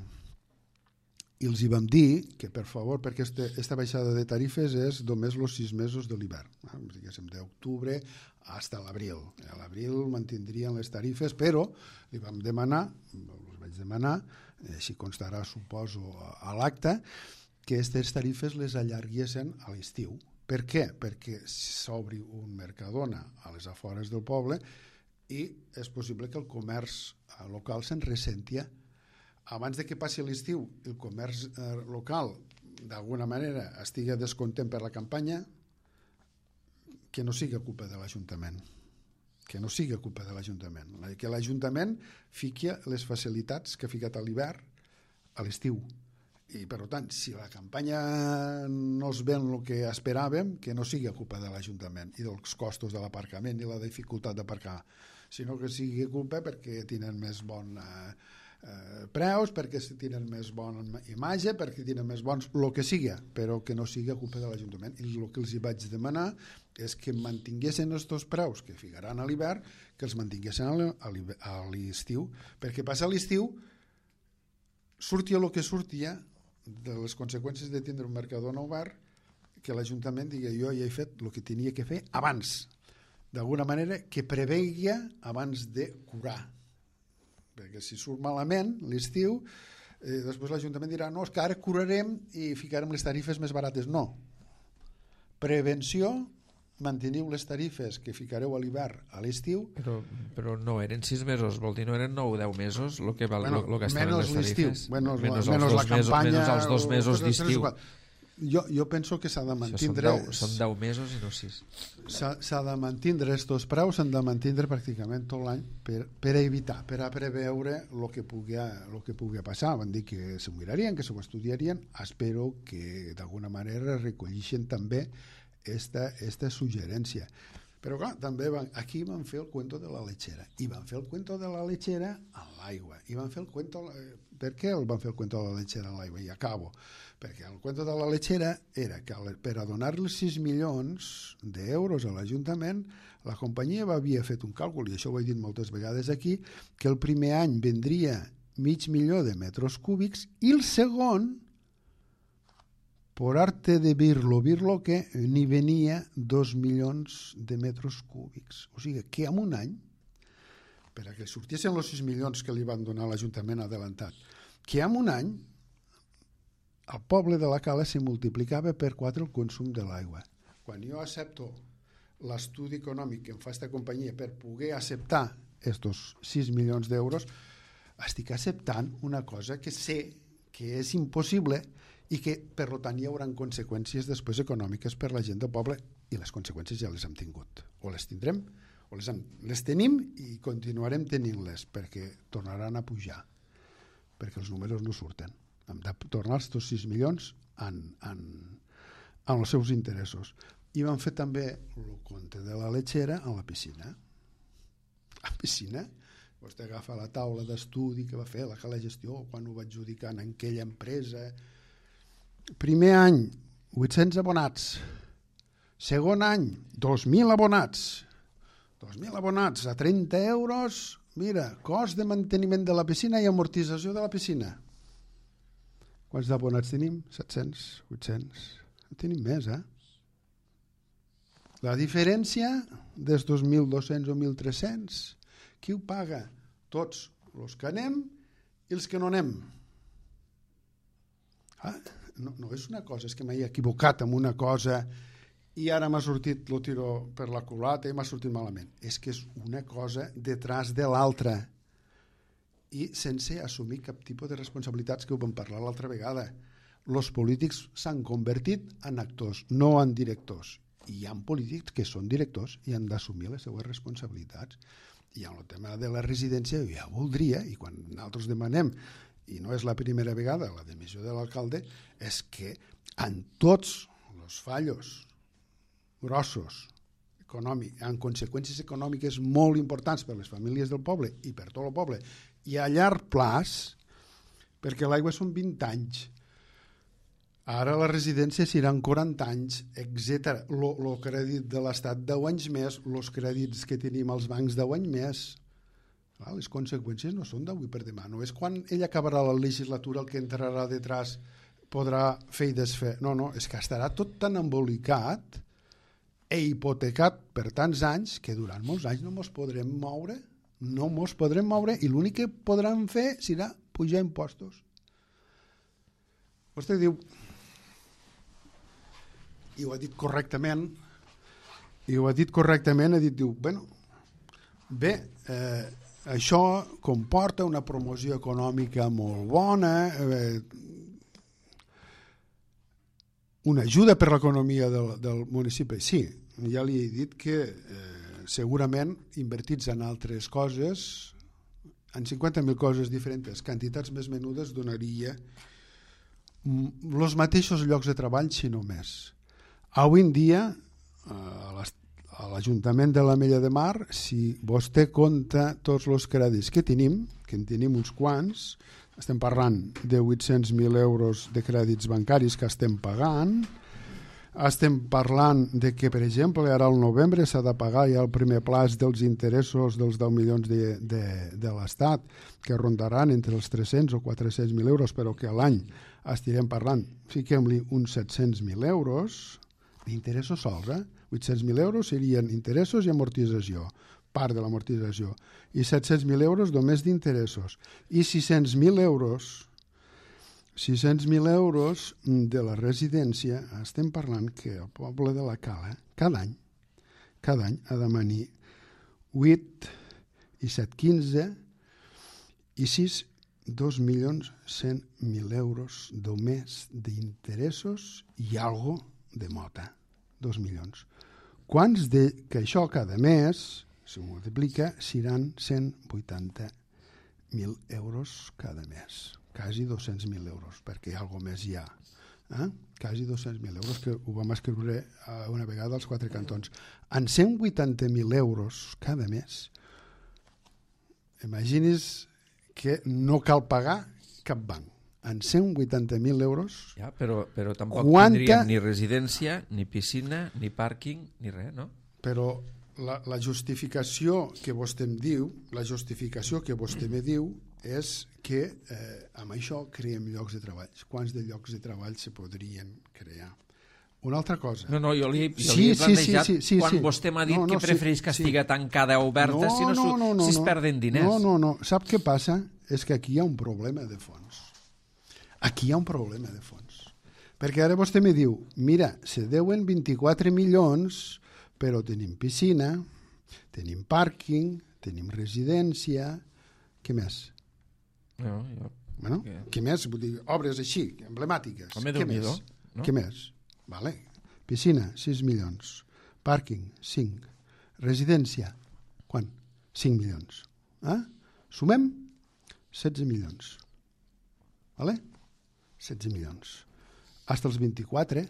I els hi vam dir que, per favor, perquè aquesta baixada de tarifes és només els sis mesos de l'hivern, eh? Diguéssim, d'octubre fins a l'abril. A l'abril mantindrien les tarifes, però li vam demanar, els vaig demanar, així constarà, suposo, a l'acte, que aquestes tarifes les allarguessin a l'estiu. Per què? Perquè s'obri un Mercadona a les afores del poble i és possible que el comerç local se'n ressentia. Abans de que passi l'estiu, el comerç eh, local d'alguna manera estigui descontent per la campanya, que no sigui culpa de l'Ajuntament. Que no sigui culpa de l'Ajuntament. Que l'Ajuntament fiqui les facilitats que ha ficat a l'hivern a l'estiu. I, per tant, si la campanya no es ven el que esperàvem, que no sigui culpa de l'Ajuntament i dels costos de l'aparcament i la dificultat d'aparcar, sinó que sigui culpa perquè tenen més bon... Eh, Eh, preus, perquè tenen més bona imatge, perquè tenen més bons, el que sigui, però que no sigui culpa de l'Ajuntament. I el que els hi vaig demanar és que mantinguessin aquests preus que ficaran a l'hivern, que els mantinguessin a l'estiu, perquè passa l'estiu sortia el que sortia de les conseqüències de tindre un Mercadona obert, que l'Ajuntament digui jo ja he fet el que tenia que fer abans, d'alguna manera que preveia abans de curar, perquè si surt malament l'estiu, eh, després l'Ajuntament dirà no, és que ara curarem i ficarem les tarifes més barates. No. Prevenció, manteniu les tarifes que ficareu a l'hivern a l'estiu. Però, però no eren sis mesos, vol dir, no eren nou o deu mesos el que, val, bueno, lo, lo que estaven les tarifes? Bueno, menys, menys, menys la campanya. Menys els dos mesos d'estiu. Jo, jo penso que s'ha de mantindre... Són deu, són deu mesos i no sis. S'ha de mantindre estos preus, s'han de mantindre pràcticament tot l'any per, per evitar, per a preveure el que pugui, lo que pugui passar. Van dir que s'ho mirarien, que s'ho estudiarien. Espero que d'alguna manera recollixen també esta, esta suggerència. Però clar, també van, aquí van fer el cuento de la lechera. I van fer el cuento de la lechera a l'aigua. I van fer el cuento... Per què el van fer el cuento de la lechera a l'aigua? I acabo. Perquè el cuento de la lechera era que per a donar-li sis milions d'euros a l'Ajuntament, la companyia havia fet un càlcul, i això ho he dit moltes vegades aquí, que el primer any vendria mig milió de metres cúbics i el segon, por arte de birlo, birlo que n'hi venia dos milions de metres cúbics. O sigui que en un any, per a que sortissin els sis milions que li van donar a l'Ajuntament adelantat, que en un any al poble de la Cala se multiplicava per quatre el consum de l'aigua. Quan jo accepto l'estudi econòmic que em fa aquesta companyia per poder acceptar aquests sis milions d'euros, estic acceptant una cosa que sé que és impossible i que, per tant, hi haurà conseqüències després econòmiques per la gent del poble, i les conseqüències ja les hem tingut. O les tindrem, o les, hem, les tenim i continuarem tenint-les, perquè tornaran a pujar, perquè els números no surten. Hem de tornar els sis milions en, en, en els seus interessos. I van fer també el compte de la lechera en la piscina. La piscina, vostè agafa la taula d'estudi que va fer la Cala Gestió quan ho va adjudicar en aquella empresa. Primer any, vuit-cents abonats. Segon any, dos mil abonats. dos mil abonats a trenta euros. Mira, cost de manteniment de la piscina i amortització de la piscina. Quants d'abonats tenim? set-cents, vuit-cents. No tenim més, eh? La diferència dels dos mil dos-cents o mil tres-cents, qui ho paga? Tots els que anem i els que no anem. Ah, no, no és una cosa, és que m'he equivocat amb una cosa i ara m'ha sortit el tiro per la culata i m'ha sortit malament. És que és una cosa detrás de l'altra i sense assumir cap tipus de responsabilitats, que ho vam parlar l'altra vegada. Els polítics s'han convertit en actors, no en directors. I hi ha polítics que són directors i han d'assumir les seues responsabilitats. I en el tema de la residència jo ja voldria, i quan nosaltres demanem, i no és la primera vegada, la dimissió de l'alcalde, és que en tots els fallos grossos, econòmics, amb conseqüències econòmiques molt importants per les famílies del poble i per tot el poble, i a llarg plaç, perquè l'aigua són vint anys, ara la residència seran quaranta anys, etcètera. El crèdit de l'Estat deu anys més, els crèdits que tenim als bancs deu anys més. Clar, les conseqüències no són d'avui per demà. No és quan ell acabarà la legislatura el que entrarà detrás podrà fer i desfer. No, no, és que estarà tot tan embolicat e hipotecat per tants anys que durant molts anys no mos podrem moure, no mos podrem moure i l'únic que podran fer serà pujar impostos. Vostè diu, i ho ha dit correctament, i ho ha dit correctament, ha dit, diu, bueno, bé, eh, això comporta una promoció econòmica molt bona, eh, una ajuda per l'economia del, del municipi. Sí, ja li he dit que eh, segurament invertits en altres coses, en cinquanta mil coses diferents, quantitats més menudes, donaria els mateixos llocs de treball, si no més. Avui en dia, a l'Ajuntament de l'Ametlla de Mar, si vostè compta tots els crèdits que tenim, que en tenim uns quants, estem parlant de vuit-cents mil euros de crèdits bancaris que estem pagant, estem parlant de que, per exemple, ara al novembre s'ha de pagar ja el primer plaç dels interessos dels deu milions de, de, de l'Estat, que rondaran entre els tres-cents o quatre-cents mil euros, però que a l'any estirem parlant, fiquem-li uns set-cents mil euros d'interessos sols, eh? vuit-cents mil euros serien interessos i amortització, part de l'amortització, i set-cents mil euros només d'interessos, i sis-cents mil euros sis-cents mil euros de la residència. Estem parlant que el poble de la Cala cada any cada any ha de manir vuit i set, quinze i sis, dos milions cent mil euros només d'interessos i algo de mota, dos milions. Quants de que això cada mes si ho multiplica, seran cent vuitanta mil euros cada mes. Quasi dos-cents mil euros, perquè algo més hi ha. Eh? Quasi dos-cents mil euros, que ho vam escriure una vegada als quatre cantons. En cent vuitanta mil euros cada mes, imagini's que no cal pagar cap banc. En cent vuitanta mil euros... Ja, però, però tampoc quanta... tindríem ni residència, ni piscina, ni pàrquing, ni res, no? Però la, la justificació que vostè em diu, la justificació que vostè me diu és que eh, amb això creem llocs de treball. Quants de llocs de treball se podrien crear? Una altra cosa. No, no, jo li, jo sí, li he plantejat sí, sí, sí, quan sí. vostè m'ha dit no, no, que prefereix sí, que estiga sí. tancada o oberta no, si, no, no, no, no, si es no. perden diners. No, no, no. Sap què passa? És que aquí hi ha un problema de fons. Aquí hi ha un problema de fons. Perquè ara vostè me diu, mira, se deuen vint-i-quatre milions, però tenim piscina, tenim pàrquing, tenim residència, què més? No, jo... Bueno, què? Què més? Vull dir, obres així, emblemàtiques. Home, què més? No? Què més? Vale. Piscina, sis milions. Pàrquing, cinc. Residència, quan? cinc milions. Eh? Sumem? setze milions. Vale? setze milions. Hasta els vint-i-quatre.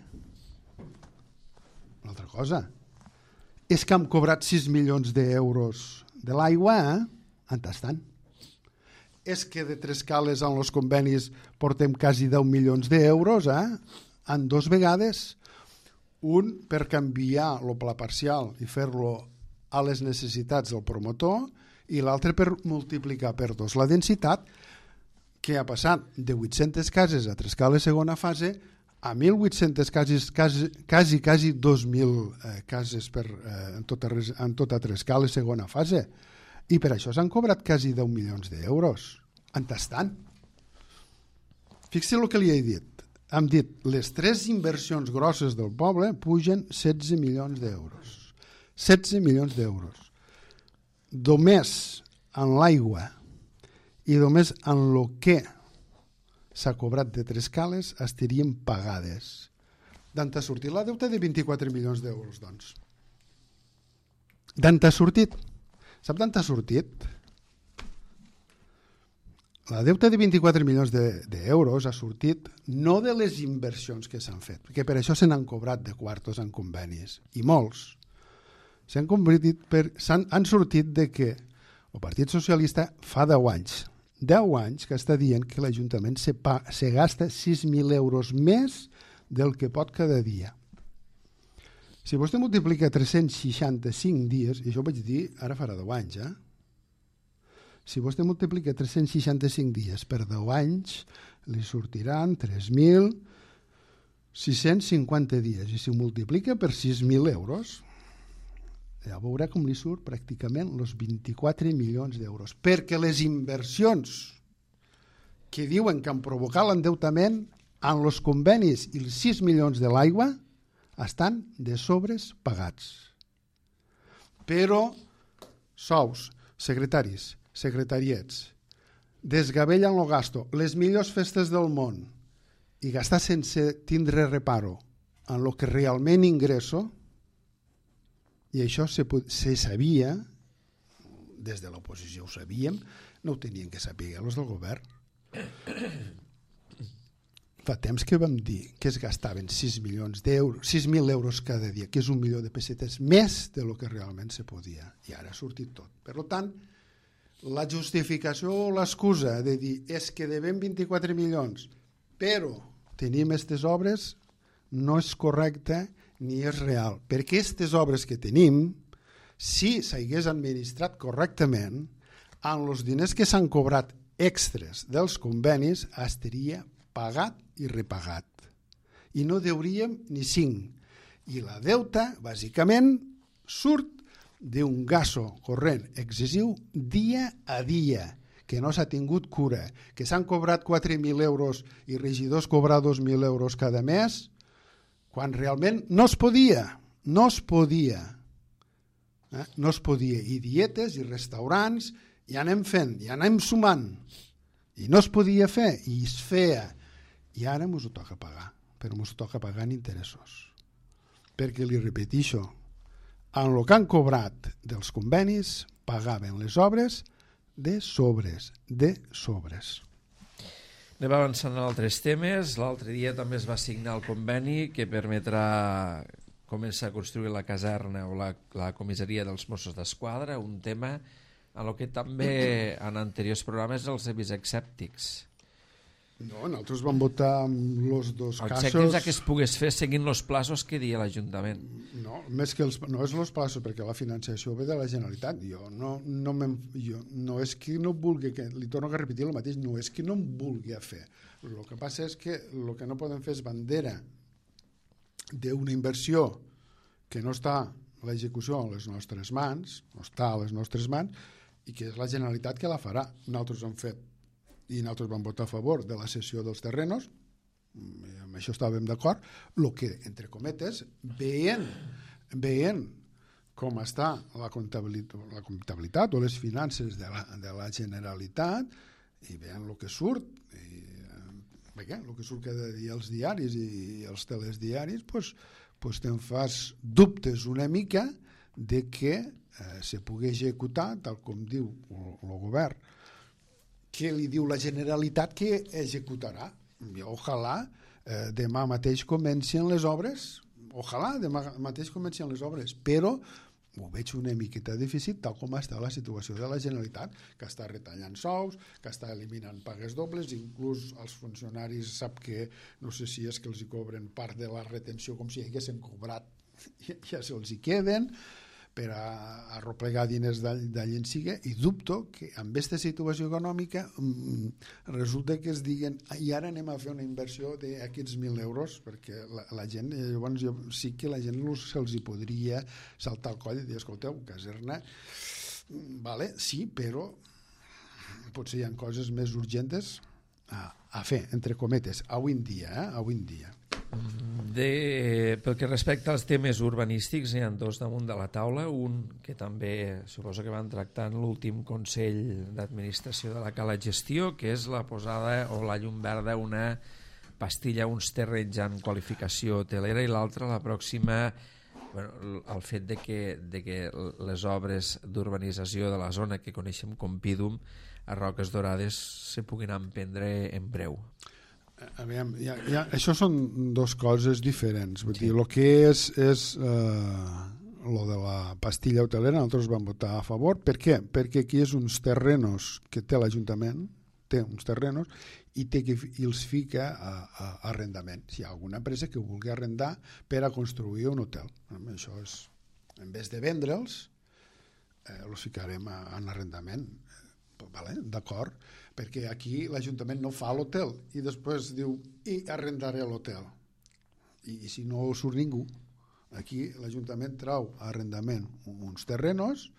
Una altra cosa. És que hem cobrat sis milions d'euros de l'aigua, eh? En tastant. És que de tres cales en els convenis portem quasi deu milions d'euros, eh? En dos vegades. Un per canviar el pla parcial i fer-lo a les necessitats del promotor i l'altre per multiplicar per dos la densitat, que ha passat de vuit-centes cases a tres cales segona fase a mil vuit-centes cases, quasi, quasi, quasi dos mil eh, cases per, eh, en, tota, en tota tres cales segona fase. I per això s'han cobrat quasi deu milions d'euros. En tastant. Fixi el que li he dit. Hem dit, les tres inversions grosses del poble pugen setze milions d'euros. setze milions d'euros. Només en l'aigua i només en el que s'ha cobrat de tres cales estarien pagades. D'on ha sortit la deuta de vint-i-quatre milions d'euros, doncs? D'on ha sortit? Sap d'on ha sortit? La deuta de vint-i-quatre milions d'euros ha sortit no de les inversions que s'han fet, perquè per això se n'han cobrat de quartos en convenis, i molts. S'han convertit per, s'han, han sortit de que el Partit Socialista fa deu anys, deu anys que està dient que l'Ajuntament se, pa, se gasta sis mil euros més del que pot cada dia. Si vostè multiplica tres-cents seixanta-cinc dies, i això ho vaig dir ara farà deu anys, eh? Si vostè multiplica tres-cents seixanta-cinc dies per deu anys, li sortiran tres mil sis-cents cinquanta dies. I si ho multiplica per sis mil euros, ja veurà com li surt pràcticament els vint-i-quatre milions d'euros. Perquè les inversions que diuen que han provocat l'endeutament en els convenis i els sis milions de l'aigua estan de sobres pagats. Però sous, secretaris, secretariets, desgavellen el gasto, les millors festes del món, i gastar sense tindre reparo en el que realment ingresso, i això se, se sabia, des de l'oposició ho sabíem, no ho tenien que saber els del govern. Fa temps que vam dir que es gastaven sis milions d'euros, sis mil euros cada dia, que és un milió de pessetes més de lo que realment se podia. I ara ha sortit tot. Per tant, la justificació o l'excusa de dir és que devem vint-i-quatre milions, però tenim aquestes obres, no és correcta ni és real. Perquè aquestes obres que tenim, si s'hagués administrat correctament, amb els diners que s'han cobrat extres dels convenis, estaria pagat i repagat. I no deuríem ni cinc. I la deuta, bàsicament, surt d'un gasto corrent excessiu dia a dia, que no s'ha tingut cura, que s'han cobrat quatre mil euros i regidors cobrar dos mil euros cada mes, quan realment no es podia, no es podia. Eh? No es podia. I dietes i restaurants, i anem fent, i anem sumant. I no es podia fer, i es feia. I ara ens ho toca pagar, però ens ho toca pagar en interessos. Perquè, li repetixo, en el que han cobrat dels convenis, pagaven les obres de sobres, de sobres. Anem avançant en altres temes. L'altre dia també es va signar el conveni que permetrà començar a construir la caserna o la, la comissaria dels Mossos d'Esquadra, un tema en el que també en anteriors programes els he vist escèptics. No, nosaltres vam votar en els dos casos... Escèptics a que es pogués fer seguint els plaços que dia l'Ajuntament. No, més que els, no és els plaços, perquè la financiació ve de la Generalitat. Jo no, no, jo, no és que no vulgui, que, li torno a repetir el mateix, no és que no em vulgui fer. El que passa és que el que no podem fer és bandera d'una inversió que no està l'execució a les nostres mans, no està a les nostres mans, i que és la Generalitat que la farà. Nosaltres hem fet i nosaltres vam votar a favor de la cessió dels terrenos, amb això estàvem d'acord, el que, entre cometes, veient, veient com està la comptabilitat, la comptabilitat o les finances de la, de la Generalitat, i veient el que surt, i, bé, el que surt cada dia als diaris i els telediaris, pues, pues te'n fas dubtes una mica de que eh, se pugui executar, tal com diu el govern, que li diu la Generalitat que executarà. I ojalà eh, demà mateix comencin les obres, ojalà demà mateix comencin les obres, però ho veig una miqueta difícil tal com està la situació de la Generalitat, que està retallant sous, que està eliminant pagues dobles, inclús els funcionaris sap que no sé si és que els hi cobren part de la retenció com si haguessin cobrat, ja se'ls hi queden, per a arroplegar diners d'allà en siga, i dubto que amb aquesta situació econòmica resulta que es diguen i ara anem a fer una inversió d'aquests mil euros, perquè la, la gent, llavors jo, sí que la gent se'ls hi podria saltar el coll i dir, escolteu, caserna, vale, sí, però potser hi ha coses més urgents a, a fer, entre cometes, avui en dia, eh? avui en dia. De, pel que respecta als temes urbanístics, n'hi ha dos damunt de la taula, un que també suposo que van tractar en l'últim Consell d'Administració de la Cala Gestió, que és la posada o la llum verda una pastilla, uns terrenys en qualificació hotelera, i l'altra, la pròxima, bueno, el fet de que, de que les obres d'urbanització de la zona que coneixem com Pídum a Roques Dorades se puguin emprendre en breu. A veure, ja, ja, això són dues coses diferents. Vull sí. dir, el que és, és eh, lo de la pastilla hotelera, nosaltres vam votar a favor. Per què? Perquè aquí és uns terrenos que té l'Ajuntament, té uns terrenos, i, té que, i els fica a, a, a arrendament. Si hi ha alguna empresa que vulgui arrendar per a construir un hotel. Això és, en vez de vendre'ls, eh, els ficarem a, en arrendament. vale, d'acord, perquè aquí l'Ajuntament no fa l'hotel i després diu, i arrendaré l'hotel. I, I si no surt ningú, aquí l'Ajuntament trau a arrendament uns terrenos,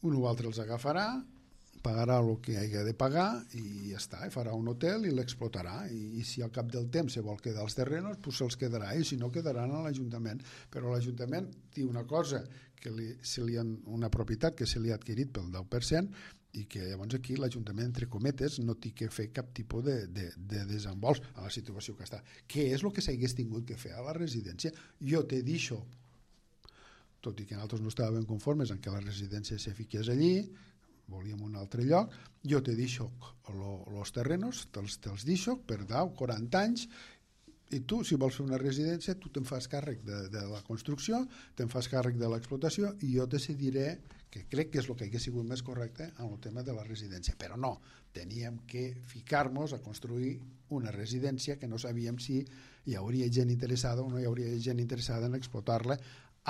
un o altre els agafarà, pagarà el que hagi de pagar i ja està, i farà un hotel i l'explotarà, i, i si al cap del temps se vol quedar els terrenos, doncs se'ls quedarà, i si no quedaran a l'Ajuntament. Però l'Ajuntament té una cosa, que li, se li han, una propietat que se li ha adquirit pel deu per cent, i que llavors aquí l'Ajuntament, entre cometes, no té que fer cap tipus de, de, de desembols a la situació que està. Què és el que s'hagués tingut que fer a la residència? Jo te deixo, tot i que nosaltres no estàvem conformes en que la residència se fiqués allí, volíem un altre lloc, jo te deixo els terrenos, te'ls, te'ls deixo per deu, quaranta anys, i tu, si vols fer una residència, tu te'n fas càrrec de, de la construcció, te'n fas càrrec de l'explotació, i jo decidiré, que crec que és el que hauria sigut més correcte en el tema de la residència. Però no, teníem que ficar-nos a construir una residència que no sabíem si hi hauria gent interessada o no hi hauria gent interessada en explotar-la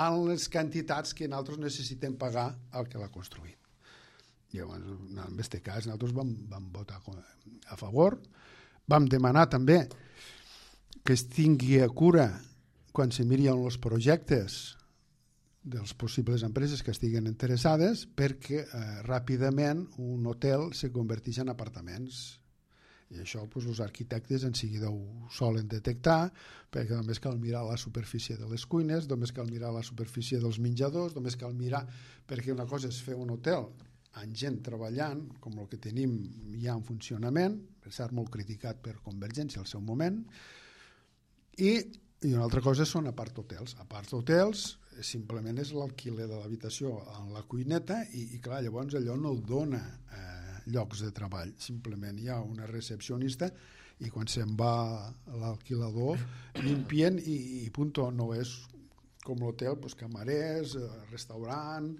en les quantitats que nosaltres necessitem pagar al que l'ha construït. Llavors, en aquest cas, nosaltres vam, vam votar a favor. Vam demanar també que es tingui a cura quan se miren els projectes dels possibles empreses que estiguen interessades, perquè eh, ràpidament un hotel se converteix en apartaments. I això doncs, els arquitectes en seguida ho solen detectar, perquè només cal mirar la superfície de les cuines, només cal mirar la superfície dels menjadors, només cal mirar, perquè una cosa és fer un hotel amb gent treballant, com el que tenim ja en funcionament, per cert molt criticat per Convergència al seu moment, i, i una altra cosa són apart-hotels. Apart-hotels simplement és l'alquiler de l'habitació en la cuineta i, i clar, llavors allò no dona eh, llocs de treball, simplement hi ha una recepcionista i quan se'n va l'alquilador limpien i, i punto, no és com l'hotel, doncs, camarers, restaurant,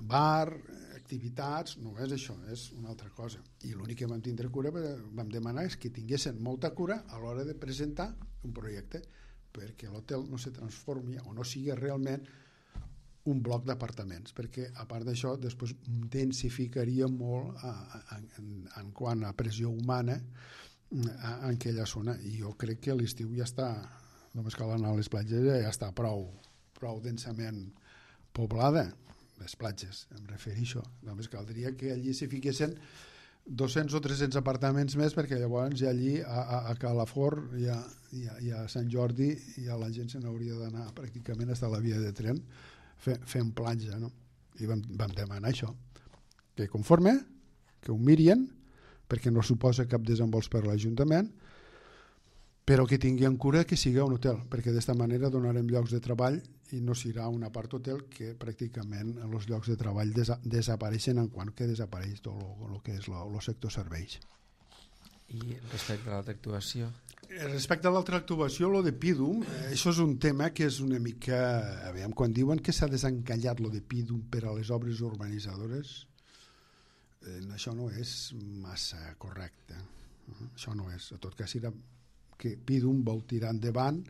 bar, activitats, no és això, és una altra cosa. I l'únic que vam tindre cura, vam demanar és que tinguessin molta cura a l'hora de presentar un projecte, perquè l'hotel no se transformi o no sigui realment un bloc d'apartaments, perquè a part d'això després densificaria molt a, a, en, en quant a pressió humana a, en aquella zona, i jo crec que l'estiu ja està, només cal anar a les platges, ja està prou, prou densament poblada. Les platges, em refereixo. Només caldria que allí s'hi fiquessin dos-cents o tres-cents apartaments més, perquè llavors ja allí a, a, a Calafort i a, i, a, i a Sant Jordi ja la gent se n'hauria d'anar pràcticament fins a la via de tren fe, fent platja, no? I vam, vam demanar això, que conforme, que ho mirien, perquè no suposa cap desembols per l'Ajuntament, però que tingui en cura que sigui un hotel, perquè d'esta manera donarem llocs de treball i no serà un apart-hotel que pràcticament els llocs de treball desa desapareixen en quant que desapareix tot el que és el sector serveis. I respecte a l'altra actuació? Respecte a l'altra actuació, lo de Pidum, això és un tema que és una mica... Aviam, quan diuen que s'ha desencallat lo de Pidum per a les obres urbanitzadores, eh, això no és massa correcte. Eh? Això no és. En tot cas, era que Pidum vol tirar endavant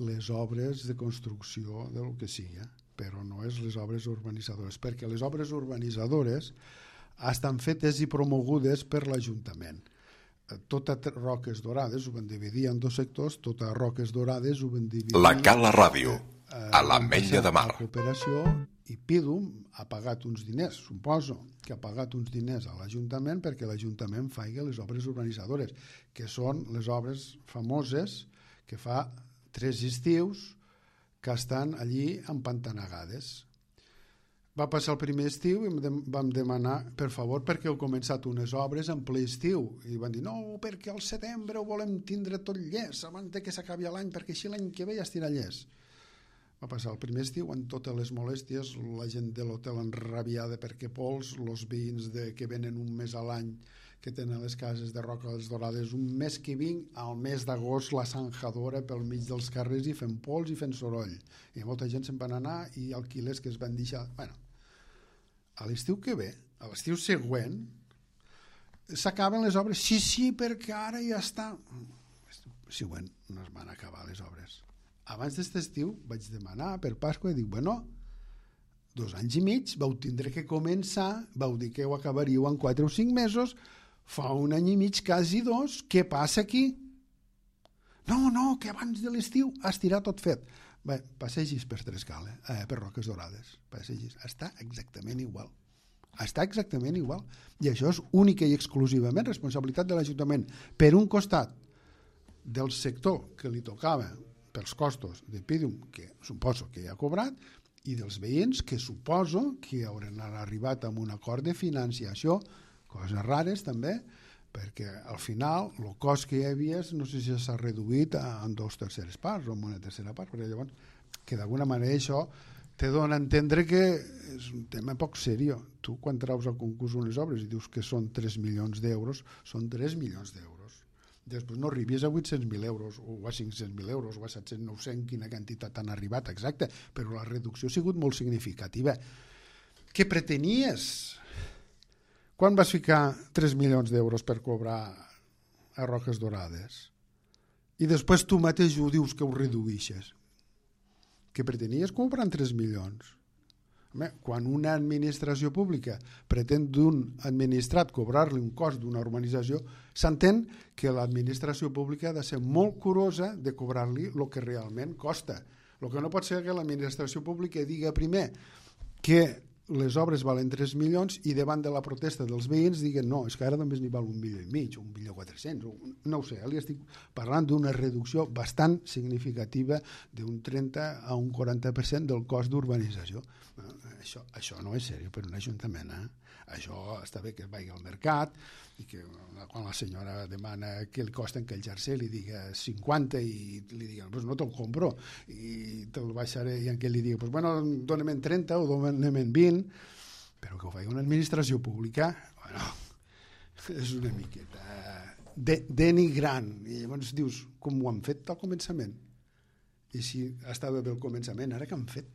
les obres de construcció del que sigui, però no és les obres urbanitzadores, perquè les obres urbanitzadores estan fetes i promogudes per l'Ajuntament. Totes Roques Dorades ho van dividir en dos sectors, totes Roques Dorades ho van dividir... La Cala Ràdio, a l'Ametlla de Mar. La cooperació, i Pidum ha pagat uns diners, suposo que ha pagat uns diners a l'Ajuntament perquè l'Ajuntament faci les obres urbanitzadores, que són les obres famoses que fa tres estius que estan allí empantanegades. Va passar el primer estiu i vam demanar, per favor, perquè heu començat unes obres en ple estiu. I van dir, no, perquè al setembre ho volem tindre tot llest abans que s'acabi l'any, perquè així l'any que ve ja estirà llest. Va passar el primer estiu amb totes les molèsties, la gent de l'hotel enrabiada perquè pols, els veïns de, que venen un mes a l'any, que tenen les cases de Roques Dorades, un mes que vinc, al mes d'agost, la sanjadora pel mig dels carrers i fent pols i fent soroll. I molta gent se'n van anar i alquilers que es van deixar... Bueno, a l'estiu que ve, a l'estiu següent, s'acaben les obres. Sí, sí, perquè ara ja està... L'estiu següent no es van acabar les obres. Abans d'aquest estiu vaig demanar per Pasqua i dic, bueno, dos anys i mig, vau tindre que començar, vau dir que ho acabaríeu en quatre o cinc mesos, fa un any i mig, quasi dos, què passa aquí? No, no, que abans de l'estiu estirà tot fet. Bé, passegis per Trescal, eh? per Roques Dorades, passegis, està exactament igual. Està exactament igual. I això és única i exclusivament responsabilitat de l'Ajuntament. Per un costat, del sector que li tocava pels costos de Pídium, que suposo que ja ha cobrat, i dels veïns, que suposo que hauran arribat amb un acord de financiació, coses rares també, perquè al final el cost que hi havia no sé si s'ha reduït en dues terceres parts o en una tercera part, perquè llavors que d'alguna manera això te dona a entendre que és un tema poc seriós. Tu quan traus al concurs unes obres i dius que són tres milions d'euros, són tres milions d'euros. Després no arribis a vuit-cents mil euros o a cinc-cents mil euros o a set-cents, nou-cents, quina quantitat han arribat exacte, però la reducció ha sigut molt significativa. Què pretenies? Quan vas ficar tres milions d'euros per cobrar a Roques Dorades? I després tu mateix ho dius que ho reduïxes. Què pretenies comprar tres milions? Home, quan una administració pública pretén d'un administrat cobrar-li un cost d'una urbanització, s'entén que l'administració pública ha de ser molt curosa de cobrar-li el que realment costa. El que no pot ser que l'administració pública diga primer que les obres valen tres milions i davant de la protesta dels veïns diguen no, és que ara només n'hi val un milió i mig o un milió quatre-cents, no ho sé, li estic parlant d'una reducció bastant significativa d'un trenta a un quaranta per cent del cost d'urbanització. Això, això no és seriós per un ajuntament, eh? Això està bé que es vagi al mercat i que quan la senyora demana que li costen que el jersei li diga cinquanta i li diguen, pues no te'l compro i te'l baixaré i en què li digui, pues bueno, dóna'm en trenta o dóna'm en vint, però que ho faci una administració pública, bueno, és una miqueta de, denigrant. I llavors dius, com ho han fet al començament? I si estava bé al començament, ara què han fet?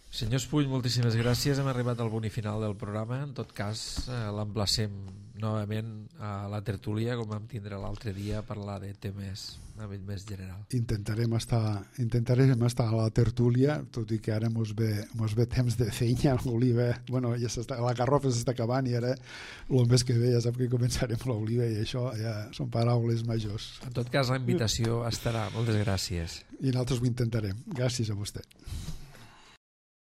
Senyor Espull, moltíssimes gràcies. Hem arribat al punt i final del programa. En tot cas, eh, l'emplacem novament a la tertúlia, com vam tindre l'altre dia, a parlar de temes més general. Intentarem estar, intentarem estar a la tertúlia, tot i que ara mos ve, mos ve temps de feina. L'oliva, bueno, ja s'està, la garrofa s'està acabant i ara el mes que ve ja sap que començarem l'oliva i això ja són paraules majors. En tot cas, la invitació estarà. Moltes gràcies. I nosaltres ho intentarem. Gràcies a vostè.